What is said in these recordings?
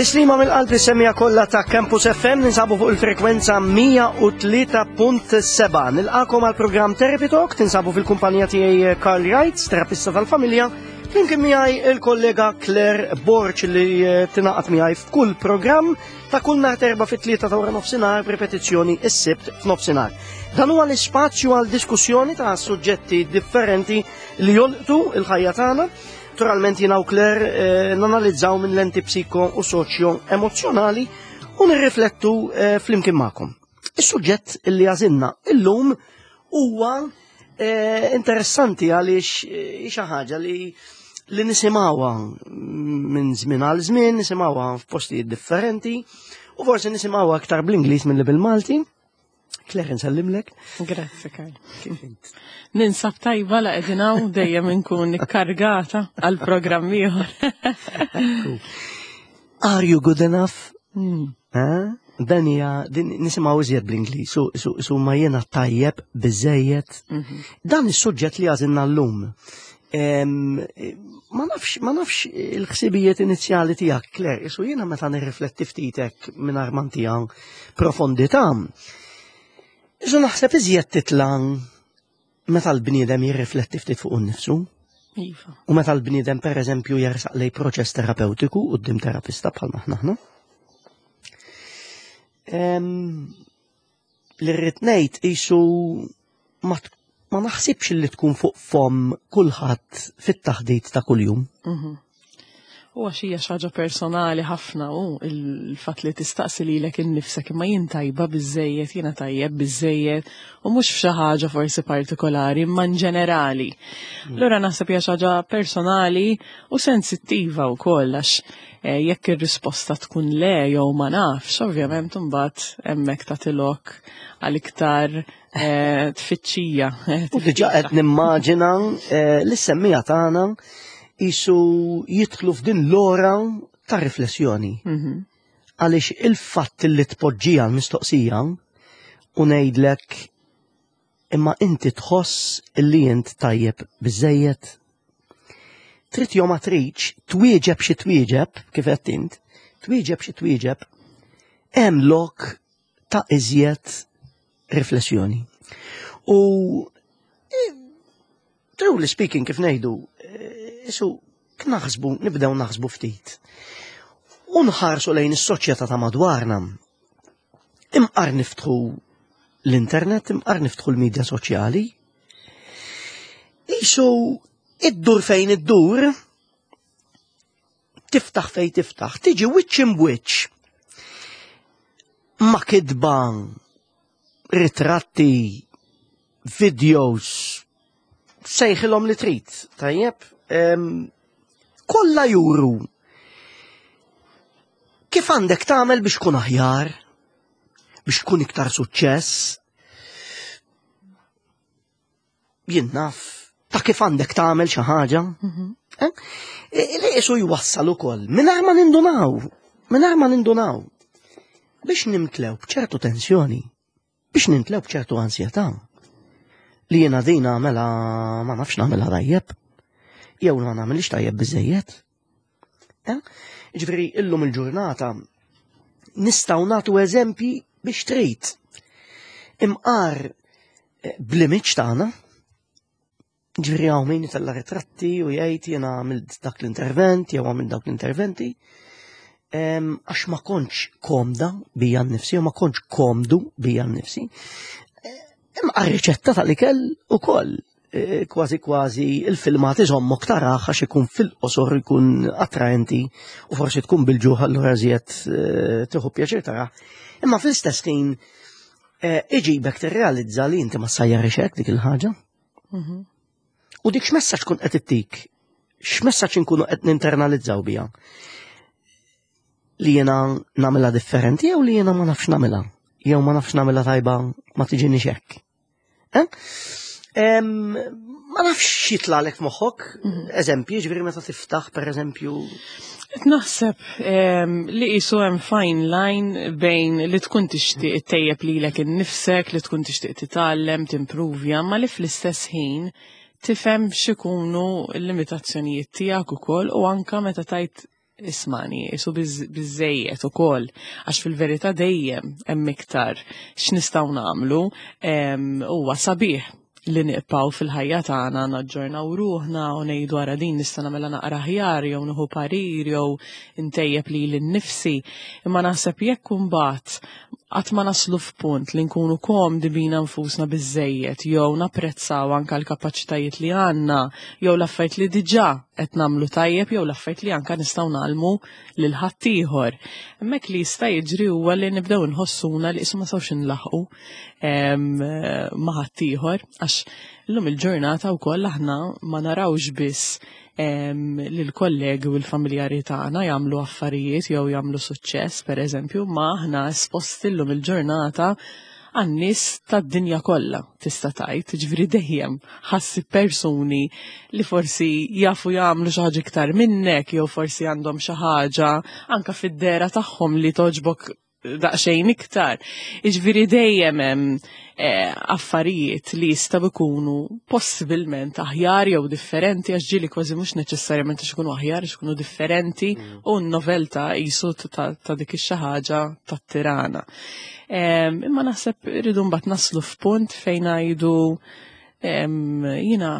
Tislima mill-qalb is-semija kollha ta' Campus FM ninsabu fuq il-frekwenza 103.7. Nilqakom għal programm Therapy Talk, tinsabu fil-kumpanija tiegħi Carl Wright, terapista tal-familja, flimkien miegħi il-kollega Claire Borch li eh, tingħaqad miegħi f'kull programm ta' kull nhar terba fit-tlieta ta' wara nofsinhar b'ripetizzjoni s-sibt f'nofsinhar. Dan huwa l-ispazju għal diskussjoni ta' suġġetti differenti li jolqtu il-ħajja tagħna. Naturalment jiena u Claire eh, nanalizzaw minn lenti psiko u soċjo emozjonali u nirriflettu eh, flimkien magħkom. Is-suġġett li għażilna illum huwa eh, interessanti għaliex xi ħaġa li li nisimgħuha minn żmien għal żmien, nisimgħuha f'postijiet differenti u forsi nisimgħuha aktar bl-Ingliż milli bil-Malti. Claire, nsellimlek. Grazzi, Karl. Kif int? Ninsab tajba la qegħdin hawn dejjem inkun ikkargata għal programm ieħor. Are you good enough? Hmm. Dan hija din nisimgħu iżjed bl-Ingliż, su, su, su ma jiena tajjeb biżejjed. Mhm. Dan is-suġġett li għażilna llum. Ma nafx, ma nafx il-ħsibijiet inizjali tiegħek, Claire, isu jiena meta nirrifletti ftitek mingħajr ma ntiha profondità. Isu naħseb iżjed titla' meta l-bniedem jirrifletti ftit fuq innifsu. Iva. U meta l-bniedem pereżempju jersaq lej proċess terapeutiku quddiem terapista bħal aħna aħna. Li rrid ngħid qisu ma, ma naħsibx li tkun fuq fomm kulħadd fit-taħdit ta' kuljum. Mhm. U għax hija xi ħaġa personali ħafna u il-fatt li tistaqsi lilek innifsek imma jien tajba biżejjed, jiena tajjeb biżejjed u mhux f'xi ħaġa forsi partikolari imma in ġenerali. Allura naħseb hija xi ħaġa personali u sensittiva wkoll għax eh, jekk ir-risposta tkun le jew ma nafx, ovvjament imbagħad hemmhekk tagħti lok għal iktar eh, tfittxija. Eh, u diġà qed nimmaġina li semmija tagħna isu jidħlu f'din l-ora ta' riflessjoni. Mhm. Għaliex il-fatt li tpoġġija l-mistoqsija u ngħidlek imma inti tħoss li int tajjeb biżejjed. Trid jew ma tridx twieġeb xi twieġeb kif qed int, twieġeb xi twieġeb hemm lok ta' iżjed riflessjoni. U eh, truly speaking kif ngħidu, eh, isu naħsbu, nibdew naħsbu ftit. U nħarsu lejn is-soċjetà ta' madwarna. Imqar niftħu l-internet, imqar niftħu l-medja soċjali. Isu iddur fejn iddur, tiftaħ fejn tiftaħ, tiġi wiċċ imbwiċċ ma' kitba, ritratti, videos, sejħilhom li trid, tajjeb? Kollha juru kif għandek tagħmel biex tkun aħjar, biex tkun iktar suċċess. Jien naf ta' kif għandek tagħmel xi ħaġa. Mhm. Eh? E, li qisu jwassal ukoll mingħajr ma nindunaw, mingħajr ma nindunaw biex nimtlew b'ċertu tensjoni. Biex nintlew b'ċertu ansjetà li jiena din nagħmela ma nafx nagħmilha tajjeb jew ma nagħmilx tajjeb biżejjed. Eh? Ġifieri illum il-ġurnata nistgħu nagħtu eżempji biex trid. Imqar eh, bl-image tagħna, Ġifieri hawn min itella' ritratti u jgħid jiena għamilt dak l-intervent jew għamilt dawk l-interventi. Għax ma kontx komda bija nnifsi u ma kontx komdu bija nnifsi. Imma riċetta tal-ikel ukoll e, kważi kważi il-filmat iżommok taraħ għax ikun fil-qosor ikun attraenti u forsi tkun bil-ġuħ allura żjed e, tieħu pjaċir taraħ. Imma fl-istess ħin e, iġibek tirrealizza li inti ma sajjarix hekk dik il-ħaġa. Mhm. U dik x'messaġġ tkun qed ittik? X'messaġġ inkunu qed ninternalizzaw biha? Li jiena nagħmilha differenti jew li jiena ma nafx nagħmilha? Jew ma nafx nagħmilha tajba ma tiġini hekk. Eh? Ma nafx xitlalek f'moħħok, mhm. eżempji, ġifieri meta tiftaħ pereżempju. Qed naħseb li qisu hemm fine line bejn li tkun tixtieq ittejjeb lilek innifsek, li tkun tixtieq titgħallem, timpruvja, ma li fl-istess ħin tifhem x'ikunu l-limitazzjonijiet tiegħek ukoll u anka meta tajt. Ismani, isu biżejjed ukoll, għax fil-verità dejjem hemm iktar x'nistgħu nagħmlu huwa sabiħ li niqpaw fil-ħajja tagħna naġġornaw ruħna u ngħidu ara din nista' nagħmilha naqra aħjar jew nieħu parir jew intejjeb lili nnifsi. Imma naħseb jekk imbagħad qatt ma naslu f'punt li nkunu komdi bina nfusna biżejjed jew napprezzaw anke l-kapaċitajiet li għandna jew l-affarijiet li diġà qed nagħmlu tajjeb jew l-affarijiet li anke nistgħu nagħlmu lil ħaddieħor. Hemmhekk li jista' jiġri huwa li nibdew inħossuna li qisu ma sawx inlaħqu ma' ħaddieħor għax illum il-ġurnata wkoll aħna ma narawx biss lill-kollegi u l-familjari tagħna jagħmlu affarijiet jew jagħmlu suċċess pereżempju, ma aħna esposti llum il-ġurnata għan-nies tad-dinja kollha tista' tgħid, ġifieri dejjem ħassi persuni li forsi jafu jagħmlu xi ħaġa iktar minnek jew forsi għandhom xi ħaġa anke fid-dera tagħhom li toġbok daqsxejn iktar. Iġviri dejjem hemm eh, affarijiet li jistgħu jkunu possibilment aħjar jew differenti għax ġieli kważi mhux neċessarjament għax ikunu aħjar għax ikunu differenti mm. u n-novelta jisu ta' dik ix-xi ħaġa tat-tirana. Imma naħseb irridu mbagħad naslu f'punt fejn ngħidu jiena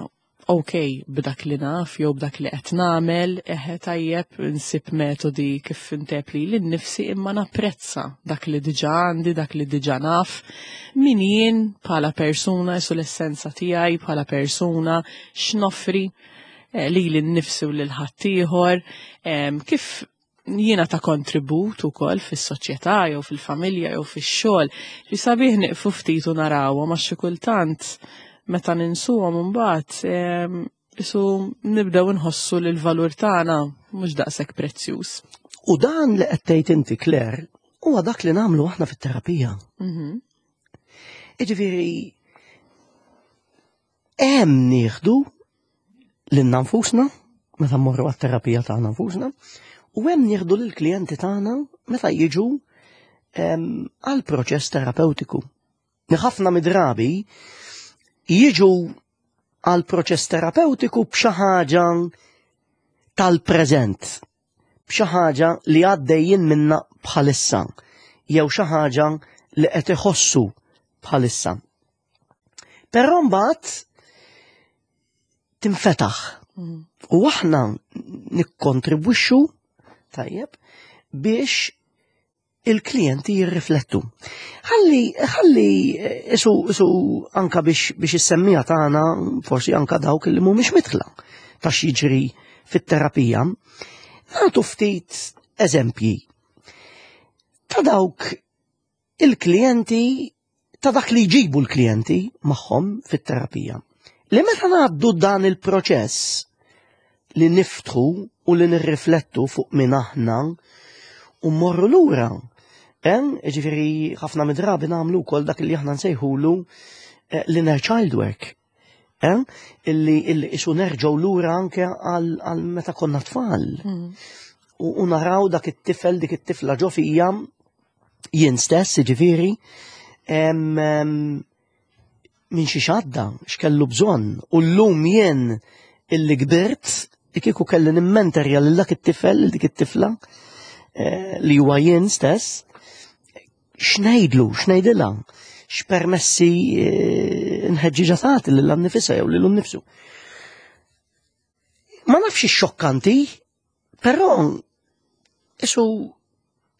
ok b'dak li naf jew b'dak li qed nagħmel, eħe tajjeb nsib metodi kif intep li nnifsi imma napprezza dak li diġà għandi, dak li diġà naf, min jien bħala persuna, isu l-essenza tiegħi bħala persuna, x'noffri eh, lili nnifsi u lil ħaddieħor, kif jiena ta' kontribut ukoll fis-soċjetà jew fil-familja jew fix-xogħol. Li sabiħ nieqfu ftit u narawhom għax xi kultant meta ninsuhom imbagħad ehm, isu nibdew inħossu li l-valur tagħna mhux daqshekk prezzjuż. U dan li qed tgħid inti Claire huwa dak li nagħmlu aħna fit-terapija. Mhm. Jiġifieri Hemm nieħdu lilna nfusna meta mmorru għat-terapija tagħna nfusna u hemm nieħdu lill-klijenti tagħna meta jiġu għal proċess terapeutiku. Ħafna midrabi jiġu għal proċess terapeutiku b'xi ħaġa tal-preżent, b'xi ħaġa li għaddejjin minna bħalissa, jew xi ħaġa li qed iħossu bħalissa. Però mbagħad tinfetaħ. Mm. U aħna nikkontribwixxu tajjeb biex il-klijenti jirriflettu. Ħalli, ħalli isu, isu anka biex, biex is-semmija tagħna, forsi anka dawk li mhumiex mitħla ta' x'jiġri fit-terapija, nagħtu ftit eżempji ta' dawk il-klijenti ta' dak li jġibu l-klijenti magħhom fit-terapija. Li meta ngħaddu dan il-proċess li niftħu u li nirriflettu fuq min aħna u mmorru lura. Ġifieri ħafna midrabi nagħmlu wkoll dak li aħna nsejħulu eh, l-inner child work. Eh? Illi illi isu nerġgħu lura anke għal meta konna tfal. Mm. U naraw dak it-tifel, dik it-tifla ġo fija jien stess, ġifieri, minn xi xadda, x'kellu bżonn. U llum jien illi kbirt, kieku kelli nimmenterja lil dak it-tifel, lil dik it-tifla, eh, li huwa jien stess, x'ngħidlu, x'ngħidilha, x'permessi eh, nħeġġiġa tagħti lil nifisha jew lil nnifsu. Ma nafx xokkanti, però isu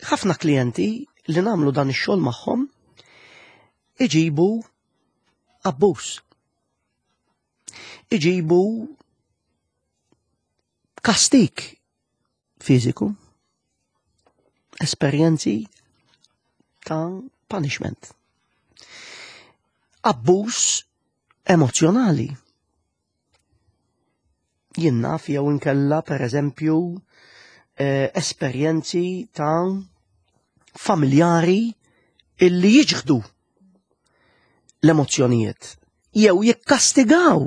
ħafna klijenti li nagħmlu dan ix-xogħol magħhom iġibu abbuż. Iġibu kastik fiżiku, esperjenzi ta' punishment. Abbuż emozjonali. Jien naf jew inkella per eżempju eh, esperjenzi ta' familjari illi jiġħdu l-emozzjonijiet jew jikkastigaw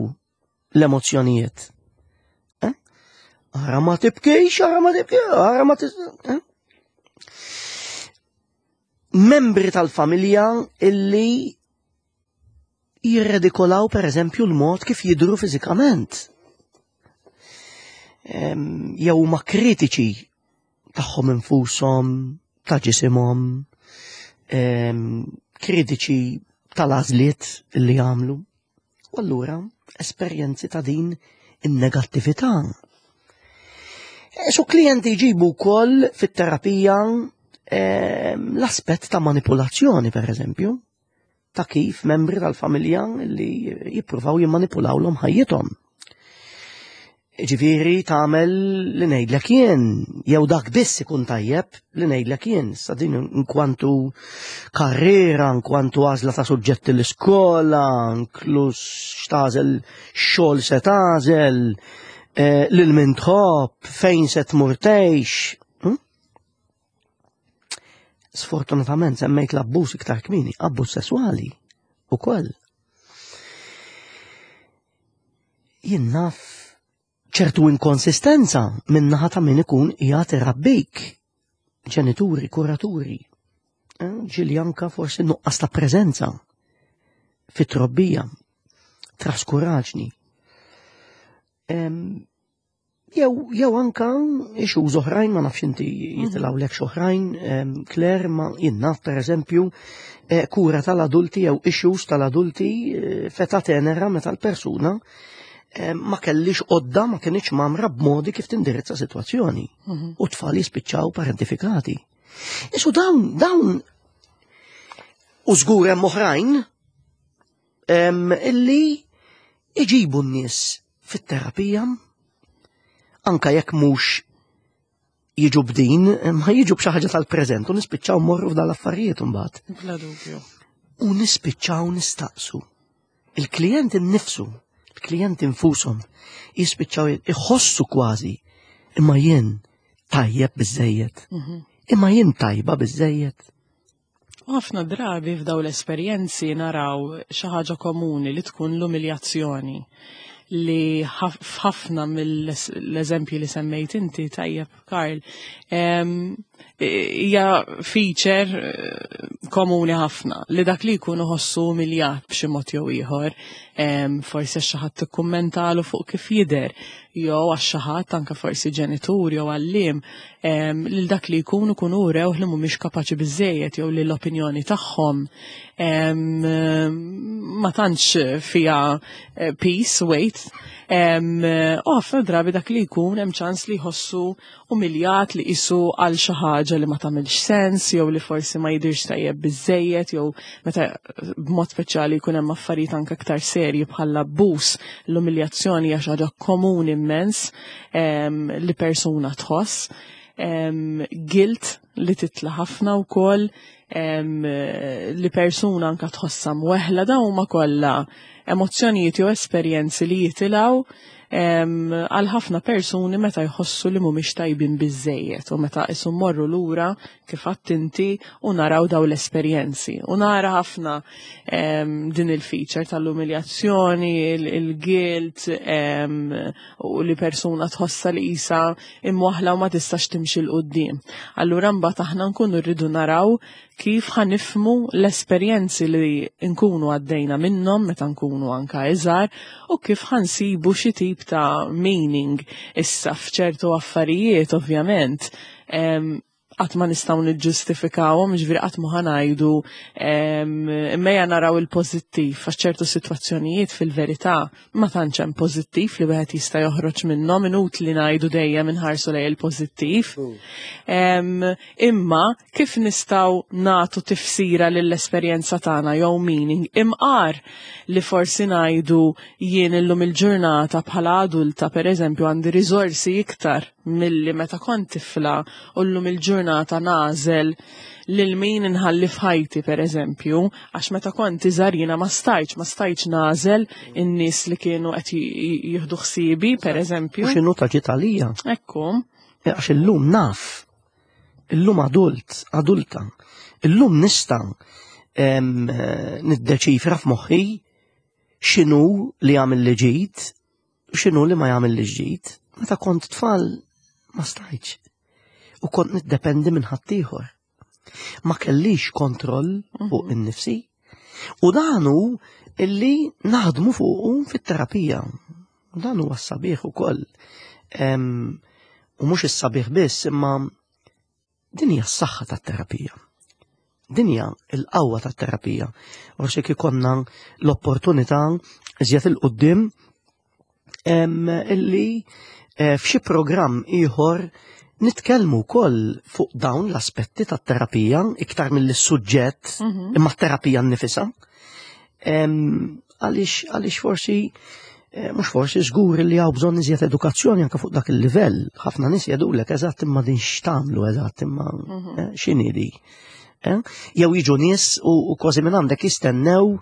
l-emozzjonijiet. Eh? Ara ma tibkix, ara ma tibkix, ara ma tibkix. Eh? Membri tal-familja illi jirredikolaw per eżempju l-mod kif jidru fiżikament. Jew huma kritiċi. tagħhom infushom, ta' ġisimhom, kritiċi tal-għażliet li jagħmlu. U allura esperjenzi ta' din in-negattività. E, su klijenti jġibu wkoll fit-terapija l-aspett ta' manipulazzjoni, per eżempju, ta' kif membri tal-familja li jippruvaw jimmanipulawlhom ħajjithom. Ġifieri tagħmel li ngħidlek jien, jew dak biss ikun tajjeb li ngħidlek jien, sa din inkwantu karriera, inkwantu għażla ta' suġġetti l-iskola, inkluż x'tagħżel xogħol se tagħżel, eh, lil min tħobb, fejn se tmur tgħix. Hm? Sfortunatament semmejt l-abbuż iktar kmieni, abbuż sesswali ukoll. Jien naf ċertu inkonsistenza minn naħa ta' min ikun qiegħed irabbik. Ġenituri, kuraturi. Eh, ġieli anka forsi nuqqas ta' preżenza fit-trobbija, traskuraġni. Jew jew anka issues oħrajn ma nafx inti mhm. jitilgħu lek oħrajn, Claire ma jien naf pereżempju eh, kura tal-adulti jew issues tal-adulti eh, feta tenera meta l-persuna ma kellix qodda ma kienx mamra b'modi kif tindirizza sitwazzjoni. Mhm. U tfal jispiċċaw parentifikati. Isu dawn dawn u żgur hemm oħrajn illi iġibu n-nies fit-terapija anka jekk mhux jiġu b'din, ma jiġu b'xi ħaġa tal-preżent u nispiċċaw morru f'dan l-affarijiet imbagħad. Bla dubju. U nispiċċaw nistaqsu. Il-klient innifsu, il-klient infushom jispiċċaw iħossu kważi imma jien tajjeb biżejjed. Mhm. Imma jien tajba biżejjed. U ħafna drabi f'daw l-esperjenzi naraw xi ħaġa komuni li tkun l-umiljazzjoni li f'ħafna mill-eżempji li semmejt inti tajjeb Karl hija feature eh, komuni ħafna li dak li jkun iħossu umiljat b'xi mod jew ieħor, forsi xi ħadd ikkummentalu fuq kif jidher, jew għax xi ħadd anke forsi ġenitur jew għalliem lil dak li jkunu kunu urew li mhumiex kapaċi biżejjed jew li l-opinjoni tagħhom ma tantx fiha eh, peace, weight. U ħafna drabi dak li jkun hemm ċans li jħossu umiljat li qisu għal xi ħaġa li ma tagħmilx sens jew li forsi ma jidirx tajjeb biżejjed jew meta b'mod speċjali jkun hemm affarijiet anke aktar serji bħal abbuż l-umiljazzjoni hija xi ħaġa komuni immens li persuna tħoss, guilt li titla ħafna wkoll, li persuna anka tħossha mweħla dawn huma kollha emozzjonijiet jew esperjenzi li jitilgħu għal ħafna persuni meta jħossu li mhumiex tajbin biżejjed u meta isu morru lura kif għedt inti u naraw daw l-esperjenzi. U nara ħafna din il-feature tal-umiljazzjoni, il-guilt, u li persuna tħossa li isa imwaħla u ma tistax timxi 'l quddiem. Allura mbagħad aħna nkunu rridu naraw kif ħa nifhmu l-esperjenzi li nkunu għaddejna minnhom meta nkunu anka iżgħar u kif ħa nsibu xi tip ta' meaning issa f'ċertu affarijiet ovvjament qatt ma nistgħu niġġustifikawhom, ġifieri qatt ma ħanajdu imma naraw il-pożittiv għax ċertu sitwazzjonijiet fil-verità ma tantx hemm pożittiv li wieħed jista' joħroġ minnhom inutli ngħidu dejjem inħarsu lejn il-pożittiv. Imma kif nistgħu nagħtu tifsira lill-esperjenza tagħna jew meaning imqar li forsi ngħidu jien illum il-ġurnata bħala adulta pereżempju għandi riżorsi iktar milli meta kont tifla u llum il-ġurnata nagħżel lil min inħalli f'ħajti pereżempju, għax meta kont iżgħar jiena ma stajtx, ma stajtx nagħżel in-nies li kienu qed jieħdu ħsiebi pereżempju. U x'inhu ta' ġiet għalija? Ekku. E, għax illum naf, illum adult, adulta, illum nista' eh, niddeċifra f'moħħi x'inhu li għamil li ġid x'inhu li ma jagħmillix ġid. Meta kont tfal ma stajtx. U kont niddependi minn ħaddieħor. Ma kellix kontroll mhm. fuq innifsi. U dan hu illi naħdmu fuqu fit-terapija. Dan huwa s-sabiħ ukoll. U mhux is-sabiħ biss, imma Din hija s-saħħa tat-terapija. Din hija l-qawwa tat-terapija. Forsi kikonna l-opportunità iżjed il-qudiem illi eh, f'xi programm ieħor nitkellmu wkoll fuq dawn l-aspetti tat-terapija iktar mill-suġġett mhm. imma t-terapija nnifisha. Għaliex għaliex forsi eh, mhux forsi żgur li hawn bżonn iżjed edukazzjoni anke fuq dak il-livell. Ħafna nies jgħidulek eżatt imma din x'tagħmlu eżatt imma mhm. eh, x'inhi di. Eh? Jew jiġu nies u kważi minn għandek jistennew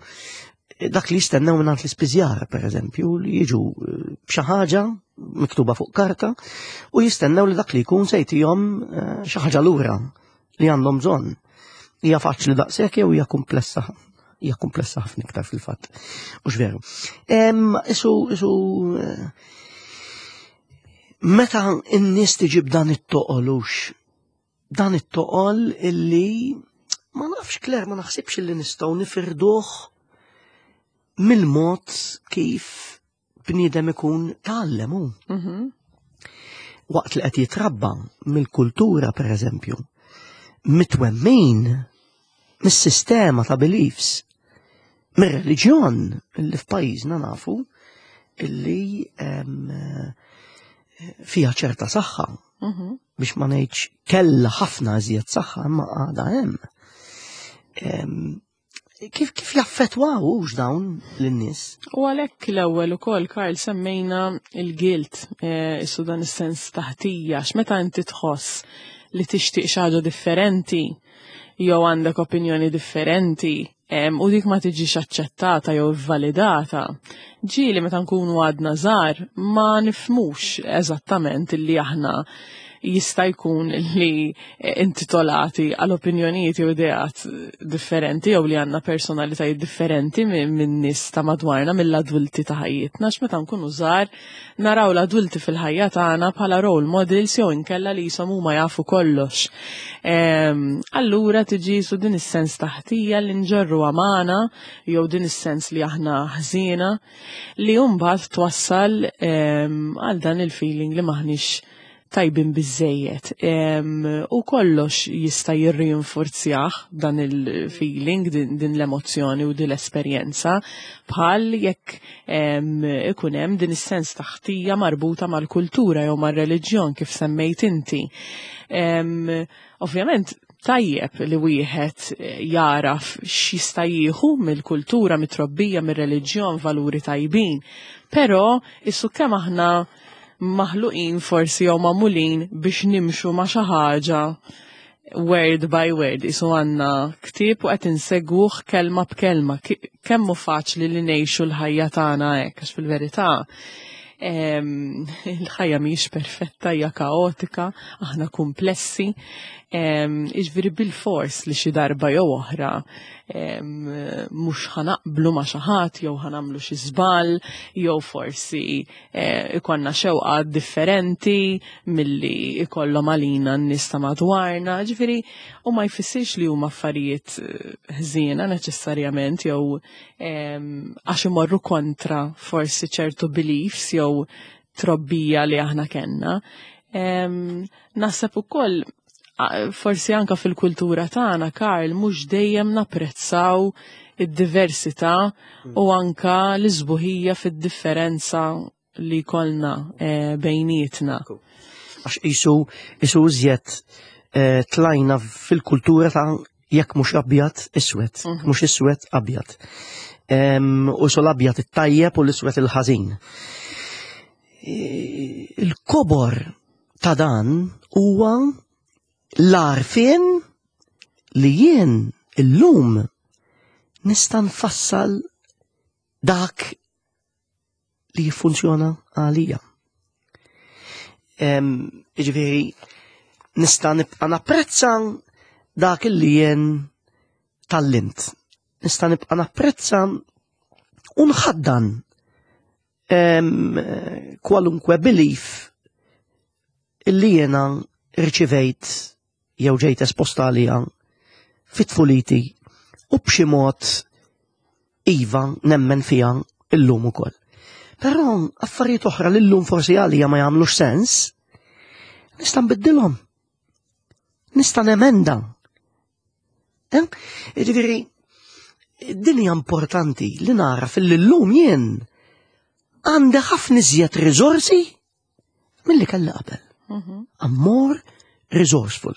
dak li jistennew minn l-ispiżjar, per eżempju, li jiġu b'xi ħaġa miktuba fuq karta u jistennew li dak li jkun se jtihom xi ħaġa lura li għandhom bżonn. Hija faċli daqshekk jew hija komplessa hija komplessa ħafna iktar fil-fatt. Mhux veru. Isu isu eh, meta n-nies tiġi b'dan it-toqolux, dan it-toqol illi ma nafx Kler ma naħsibx illi nistgħu nifirduh mill-mod kif bniedem ikun tgħallem hu. Mhm. Waqt li qed jitrabba mill-kultura pereżempju, mitwemmin mis-sistema ta' beliefs, mir-reliġjon li f'pajjiżna nafu illi fiha ċerta saħħa. Mhm. Biex ma ngħidx kellha ħafna iżjed saħħa imma għadha hemm. Kif kif jaffetwaw hux dawn lin-nies? U għalhekk l-ewwel ukoll Karl semmejna il-guilt, eh, issu dan is-sens taħtija, x'meta inti tħoss li tixtieq xi ħaġa differenti jew għandek opinjoni differenti u dik ma tiġix aċċettata jew validata. Ġieli meta nkunu għadna żgħar ma nifmux eżattament illi aħna jista' jkun li intitolati għal opinjonijiet jew ideat differenti jew li għandna personalitajiet differenti minn nies ta' madwarna mill-adulti ta' ħajjitna għax meta nkunu żgħar naraw l-adulti fil-ħajja tagħna bħala role models jew inkella li jisom huma jafu kollox. Ehm, allura tiġi su din is-sens taħtija li nġorru għamana jew din is-sens li aħna ħżiena li mbagħad twassal ehm, għal dan il-feeling li maħniex tajbin biżżejjed. U kollox jista' jirrinforzjah dan il-feeling, din, din l-emozzjoni u din l-esperjenza, bħal jekk ikun hemm din is-sens ta' ħtija marbuta mal-kultura jew mar-reliġjon kif semmejt inti. Ovvjament, tajjeb li wieħed jaraf x'jista' jieħu mill-kultura, mit-trobbija, mir-reliġjon, valuri tajbin. Però issu kemm aħna maħluqin forsi jew magħmulin biex nimxu ma' xi ħaġa word by word, isu għanna ktieb u qed insegwuh kelma b'kelma. Kemm hu faċli li ngħixu l-ħajja tagħna hekk, għax fil-verità il-ħajja mhijiex perfetta, hija kaotika, aħna komplessi, jiġifieri bil-fors li xi darba jew oħra mhux ħanaqblu ma' xi ħadd jew ħanamlu xi żball jew forsi eh, ikonna xewqa differenti milli ikollhom għalina n-nies ta' madwarna, ġifieri u ma jfissirx li huma affarijiet eh, ħżiena neċessarjament jew għax imorru kontra forsi ċertu beliefs jew trobbija li aħna kellna. Naħseb ukoll forsi anka fil-kultura tagħna, Karl, mhux dejjem napprezzaw id-diversità mm. u anka l-isbuħija fid-differenza li kolna eh, bejnietna. Għax isu isu iżjed eh, tlajna fil-kultura ta' jekk mhux abjad iswed, mhm. mhux iswed abjad. U sol abjad it-tajjeb u l-iswed il-ħażin. Il-kobor ta' dan huwa l-għarfien li jien illum nista' nfassal dak li jiffunzjona għalija. Ġifieri nista' nibqa' napprezza dak li jien tallimt. Nista' nibqa' napprezza u nħaddan kwalunkwe belief illi jena rċivejt jew ġejt esposta għalija fit-tfuliti u b'xi mod iva nemmen fija illum ukoll. Però affarijiet oħra li llum forsi għalija ma jagħmlux sens, nista' nbiddilhom. Nista' nemenda. Eh? Jiġifieri, din hija importanti li nara fil-lum jien għandi ħafna iżjed riżorsi milli kelli qabel. I'm more resourceful.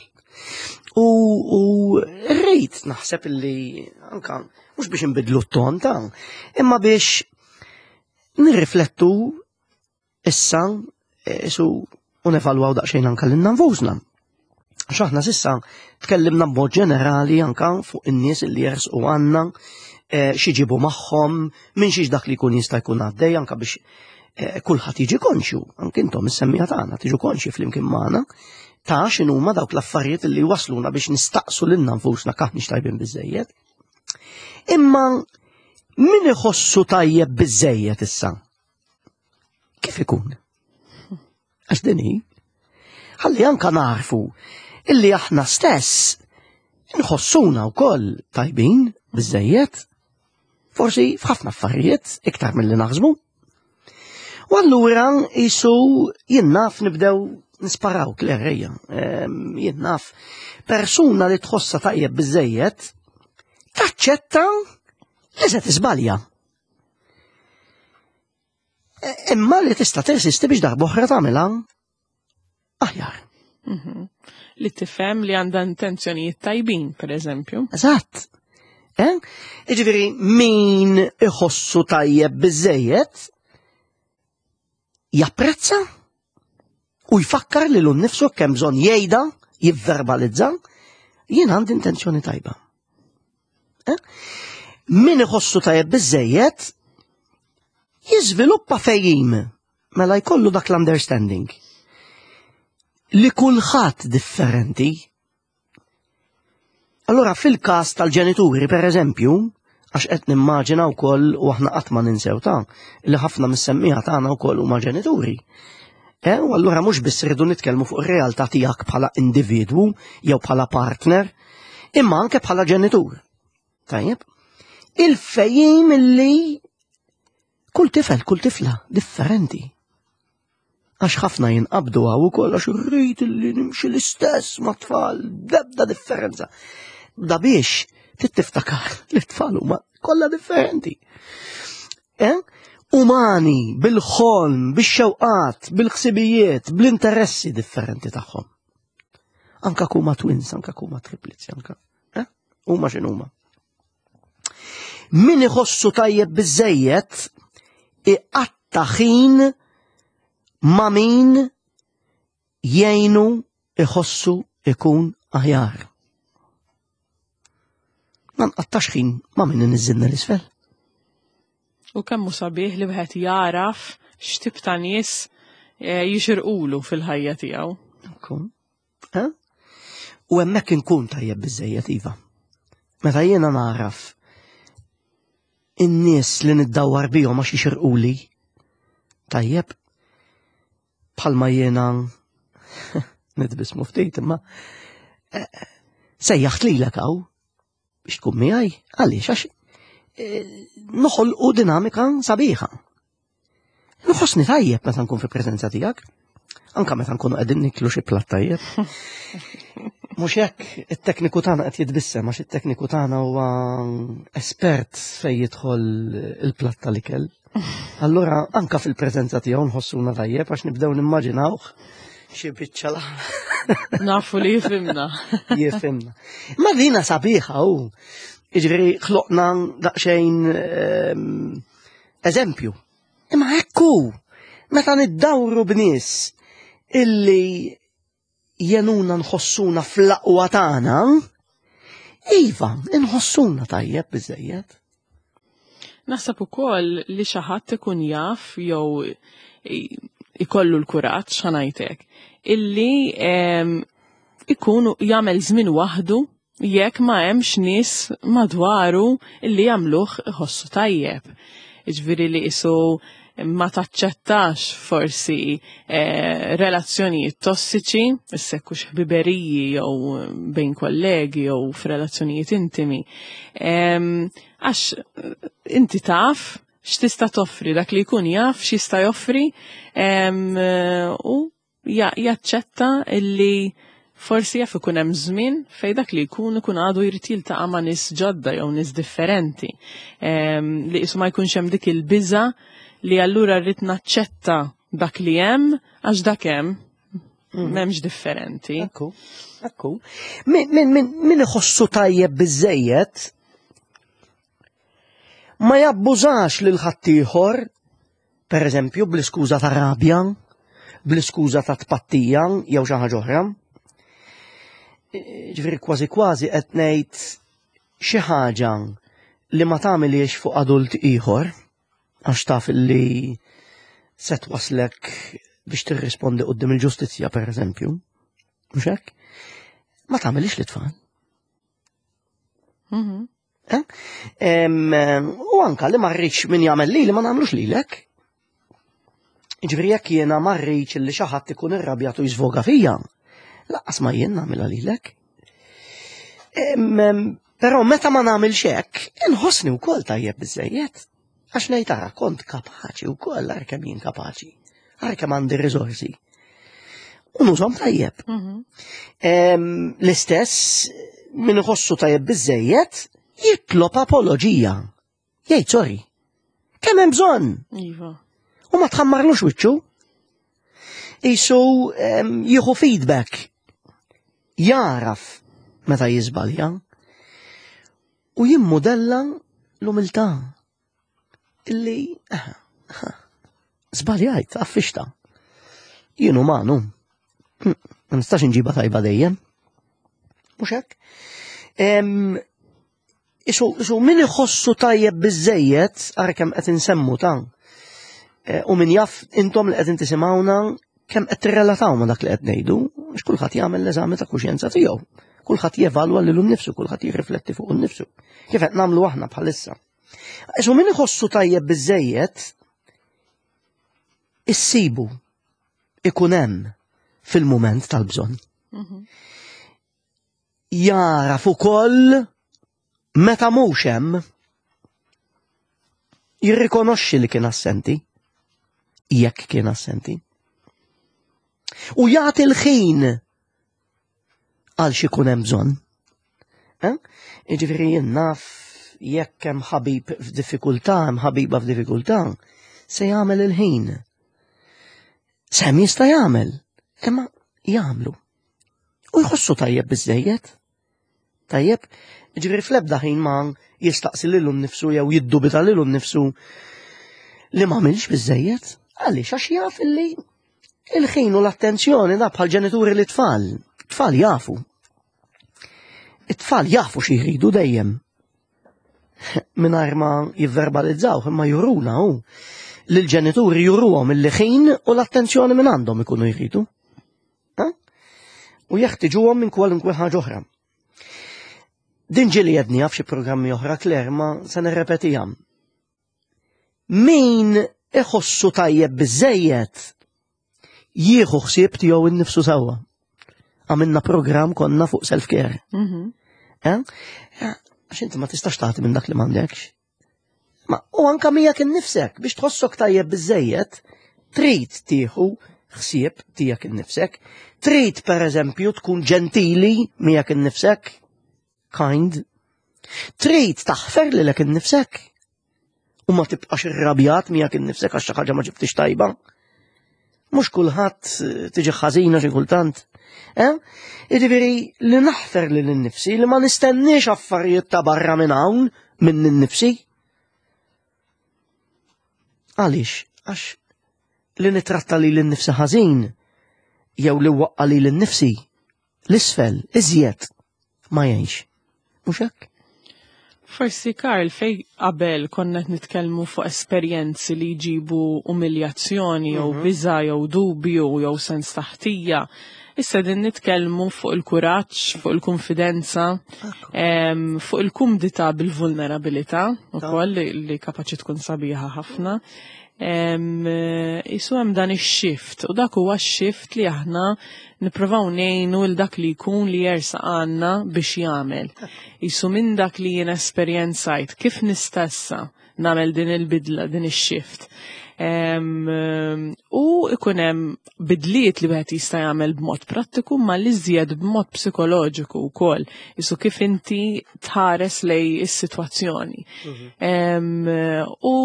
U, u rrid naħseb li anka mhux biex nbidlu t-ton ta' imma biex nirriflettu issa eh, su u nevalwaw daqsxejn anka lilna nfusna. Għax aħna sissa tkellimna b'mod ġenerali anka fuq in-nies li jersqu għandna, eh, xiġibu magħhom, minn xiex dak li jkun jista' jkun għaddej anka biex eh, kulħadd jiġi konxju, anke intom is-semmija tagħna tiġu konxji flimkien magħna ta' x'inhuma dawk l-affarijiet li wasluna biex nistaqsu lilna nfusna kaħniex tajbin biżejjed. Imma min iħossu tajjeb biżejjed issa? Kif ikun? Għax din hi. Ħalli anka narfu illi aħna stess nħossuna wkoll tajbin biżejjed, forsi f'ħafna affarijiet iktar milli naħsbu. U allura jisu jien naf nibdew nisparaw klerreja. Ehm, jien naf persuna li tħossa tajjeb biżejjed taċċetta li se tiżbalja. E, imma li tista' tirsisti biex darba oħra tagħmilha aħjar. Mhm. Li tifhem li għandha intenzjonijiet tajbin, per eżempju. Eżatt. Eh? Iġifieri min iħossu tajjeb biżejjed japprezza u jfakkar li l-nifsu kemm bżonn jgħidha, jivverbalizza, jien għandi intenzjoni tajba. Eh? Min iħossu tajjeb biżejjed jiżviluppa fejjim mela jkollu dak l-understanding li kulħadd differenti. Allora fil-każ tal-ġenituri, per eżempju, għax qed nimmaġina wkoll u aħna qatt ma ninsew ta' li ħafna mis-semmiegħa tagħna wkoll huma ġenituri. Eh, u allura mhux biss rridu nitkellmu fuq ir-realtà tiegħek bħala individwu jew bħala partner, imma anke bħala ġenitur. Tajjeb? Il-fejjim li kull tifel, kull tifla differenti. Għax ħafna jinqabdu għaw ukoll għax irrid li nimxi l-istess ma' tfal, debda differenza. Da biex tiftakar li tfal huma kollha differenti. Eh? Umani, bil-ħolm, bil-xewqat, bil-ħsibijiet, bl-interessi differenti tagħhom. Anka kuma twins, anka kuma triplets, anka. Eh? Huma x'inhuma. Min iħossu tajjeb biżejjed iqatta' ħin ma' min jgħinu iħossu ikun aħjar. Ma nqattax ħin ma' min iniżżilna l-isfel. U kemm hu sabiħ li wieħed jaraf x'tip ta' nies eh, jixirqulu fil-ħajja tiegħu. Eh? U hemmhekk inkun tajjeb biżejjed iva. Meta jiena naraf in-nies li niddawwar bihom għax jixirquli, tajjeb, bħalma jiena nitbismu ftit imma eh, sejjaħt lilek hawn biex tkun miegħi għaliex għax eh, noħolqu dinamika sabiħa. Nħossni tajjeb meta nkun fi preżenza tiegħek. Anka meta nkunu qegħdin niklu xi platt tajjeb. Mhux hekk it-tekniku tagħna qed jitbissem għax it-tekniku tagħna huwa espert fejn jidħol il-platt tal-ikel. Allura anka fil-preżenza tiegħu nħossuna tajjeb għax nibdew nimmaġinawh xi biċċa Nafu li jifimna. Jifimna. Ma dina sabiħa u. Jiġifieri ħloqna daqsxejn ehm, eżempju. Imma hekku, meta niddawru b'nies illi jenuna nħossuna fl-aqwa tagħna, iva, nħossuna tajjeb biżejjed. Naħseb ukoll li xi ħadd ikun jaf jew ikollu l-kuraġġ ħanajtek illi ikun jagħmel żmien waħdu jekk ma hemmx nies madwaru illi jagħmluh iħossu tajjeb. Jiġifieri li qisu ma taċċettax forsi eh, relazzjonijiet tossiċi, issekkux ħbiberiji jew bejn kollegi jew f'relazzjonijiet intimi. Għax eh, inti taf x'tista' toffri, dak li jkun jaf x'jista' joffri u jaċċetta illi Forsi jaf ikun hemm żmien fejn dak li jkun ikun għadu jrid jiltaqa' ma' nies ġodda jew nies differenti. Li qisu ma jkunx hemm dik il-biża' li allura rrid naċċetta dak li hemm għax dak hemm. M'hemmx differenti. Ekku, ekku. Min iħossu tajjeb biżejjed ma jabbużax lil ħaddieħor, per eżempju, bl-iskuża ta' rabja, bl-iskuża ta' tpattija jew xi ħaġa oħra. Ġifieri kważi kważi qed ngħid xi ħaġa li ma tagħmilhiex fuq adult ieħor, għax taf li se twaslek biex tirrispondi quddiem il-ġustizzja, per eżempju. Mhux hekk? Ma tagħmilhiex lit-tfal. Eh? U anka li ma rridx min jagħmel lili ma nagħmlux lilek. Ġifieri jekk jiena ma rridx li xi ħadd ikun irrabjat u jiżvoga fija, lanqas ma jien nagħmilha lilek. Però meta ma nagħmilx hekk, inħossni wkoll tajjeb biżejjed. Għax ngħid ara kont kapaċi wkoll ara kemm jien kapaċi. Ara kemm għandi riżorsi. U nużhom tajjeb. L-istess min iħossu tajjeb biżejjed jitlob apoloġija. Jgħid sorry. Kemm hemm bżonn? Iva. U ma tħammarlux wiċċu. Isu jieħu feedback. Jaraf meta jiżbalja. U jimmudella l-umiltà. Illi żbaljajt, affixta. Jien umanu. Ma nistax inġiba tajba dejjem. Mhux hekk? Isu min iħossu tajjeb biżejjed, ara kemm qed insemmu ta' u min jaf intom li qegħdin tisimgħuna kemm qed tirrelataw ma' dak li qed ngħidu, għax kulħadd jagħmel l-eżami ta' kuxjenza tiegħu. Kulħadd jevalwa lilu nnifsu, kulħadd jirrifletti fuq nnifsu. Kif qed nagħmlu aħna bħalissa. Isu min iħossu tajjeb biżejjed, issibu ikun hemm fil-mument tal-bżonn. Jaraf ukoll meta mhux hemm, jirrikonoxxi li kien assenti, jekk kien assenti. U jagħti l-ħin għal xi jkun hemm bżonn. Jiġifieri jien naf jekk hemm ħabib f'diffikultà, hemm ħabiba f'diffikultà, se jagħmel il-ħin. Sem jista' jagħmel, imma jagħmlu. U jħossu tajjeb biżejjed. Tajjeb, ġifieri fl-ebda ħin ma jistaqsi lilu nnifsu jew jiddubita lilu nnifsu li ma għamilx biżejjed. Għaliex għax jaf illi il-ħin u l-attenzjoni da bħal ġenituri li tfal. Tfal jafu. It-tfal jafu xi jridu dejjem. Mingħajr ma jivverbalizzaw, imma juruna hu li l-ġenituri juruhom il-ħin u l-attenzjoni minn għandhom ikunu jridu. U jeħtiġuhom minn kwalunkwe ħaġa oħra. Din ġieli għedniha f'xi programmi oħra, Claire, ma se nirrepetiha. Min iħossu tajjeb biżejjed jieħu ħsieb tiegħu innifsu sewwa. Għamilna programm konna fuq self-care. Eh? Għax inti ma tistax tagħti minn dak li m'għandekx. Ma u anka miegħek innifsek biex tħossok tajjeb biżejjed, trid tieħu ħsieb tiegħek innifsek, trid pereżempju tkun ġentili miegħek innifsek, kind, trid taħfer lilek innifsek u ma tibqax irrabjat miegħek innifsek għax xi ħaġa ma ġibtix tajba. Mhux kulħadd tiġi ħażina xi kultant. Eh? Jiġifieri li naħfer lil innifsi li ma nistenniex affarijiet ta' barra minn hawn minn innifsi. Għaliex? Għax li nitratta lil innifsi ħażin jew li waqqa lil innifsi l-isfel iżjed ma jgħinx. Mhux hekk? Forsi Karl, fej qabel konna qed nitkellmu fuq esperjenzi li jġibu umiljazzjoni jew biża' jew dubju jew sens ta' ħtija, issa qegħdin nitkellmu fuq il-kuraġġ, fuq il-kunfidenza, fuq il-kumdità bil-vulnerabilità ukoll li kapaċi tkun sabiħa ħafna. Isu hemm dan ix-shift u dak huwa x-shift li aħna nipprovaw ngħinu l dak li jkun li jersaq għandna biex jagħmel. Isu minn dak li jien esperjenzajt kif nista' issa nagħmel din il-bidla, din ix-shift. U ikun hemm bidliet li wieħed jista' jagħmel b'mod prattiku ma li żjed b'mod psikoloġiku wkoll. Isu kif inti tħares lej is-sitwazzjoni. U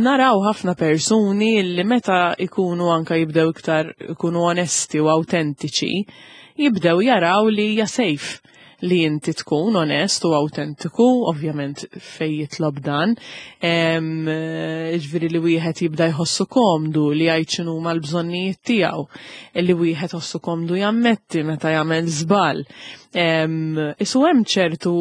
naraw ħafna persuni li meta ikunu anka jibdew iktar ikunu onesti u autentiċi, jibdew jaraw li hija safe li inti tkun onest u autentiku, ovvjament fej jitlob dan, ġifieri li wieħed jibda jħossu komdu li jgħid x'inhuma l-bżonnijiet tiegħu, li wieħed ħossu komdu jammetti meta jagħmel żball. Isu hemm ċertu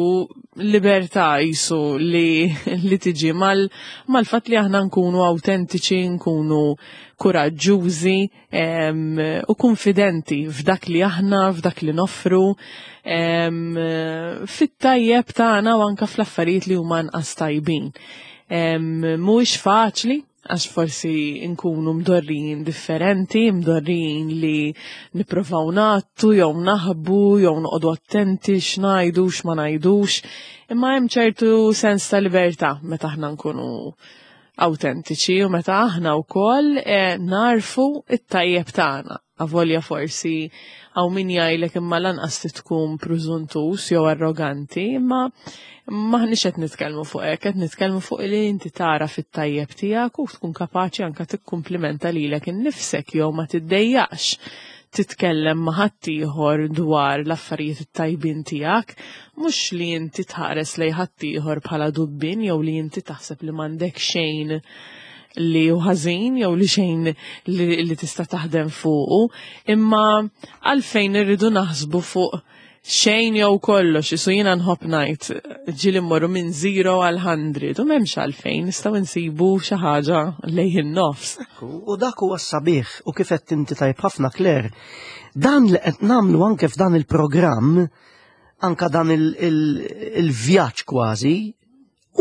libertà jisu li, li tiġi mal-fatt li aħna nkunu autentiċi, nkunu kuraġġużi u konfidenti f'dak li aħna, f'dak li noffru, fit-tajjeb tagħna u anka fl-affarijiet li huma nqas tajbin. Mhuwiex faċli, għax forsi nkunu mdorrijin differenti, mdorrijin li nipprovaw ngħattu jew naħbu jew noqogħdu attenti x'ngħidu x'ma ngħidux, imma hemm ċertu sens ta' libertà meta aħna nkunu autentiċi u meta aħna wkoll narfu it-tajjeb tagħna. Avolja forsi hawn min jgħidlek imma lanqas tkun prużuntus jew arroganti, imma maħniex qed nitkellmu fuq hekk, qed nitkellmu fuq li inti tara fit-tajjeb tiegħek u tkun kapaċi anke tikkumplimenta lilek innifsek jew ma tiddejjaqx titkellem ma' ħaddieħor dwar l-affarijiet it-tajbin tiegħek, mhux li inti tħares lejn ħaddieħor bħala dubbin jew li inti taħseb li m'għandek xejn li hu ħażin jew li xejn li tista' taħdem fuqu, imma għalfejn irridu naħsbu fuq xejn jew kollox, isu jiena nħobb ngħid ġieli mmorru minn 0 għal 100 u m'hemmx għalfejn nistgħu nsibu xi ħaġa lejn in-nofs. U dak huwa sabiħ u kif qed inti tajb ħafna Claire, dan li qed nagħmlu anke f'dan il-programm, anka dan il-vjaġġ kważi,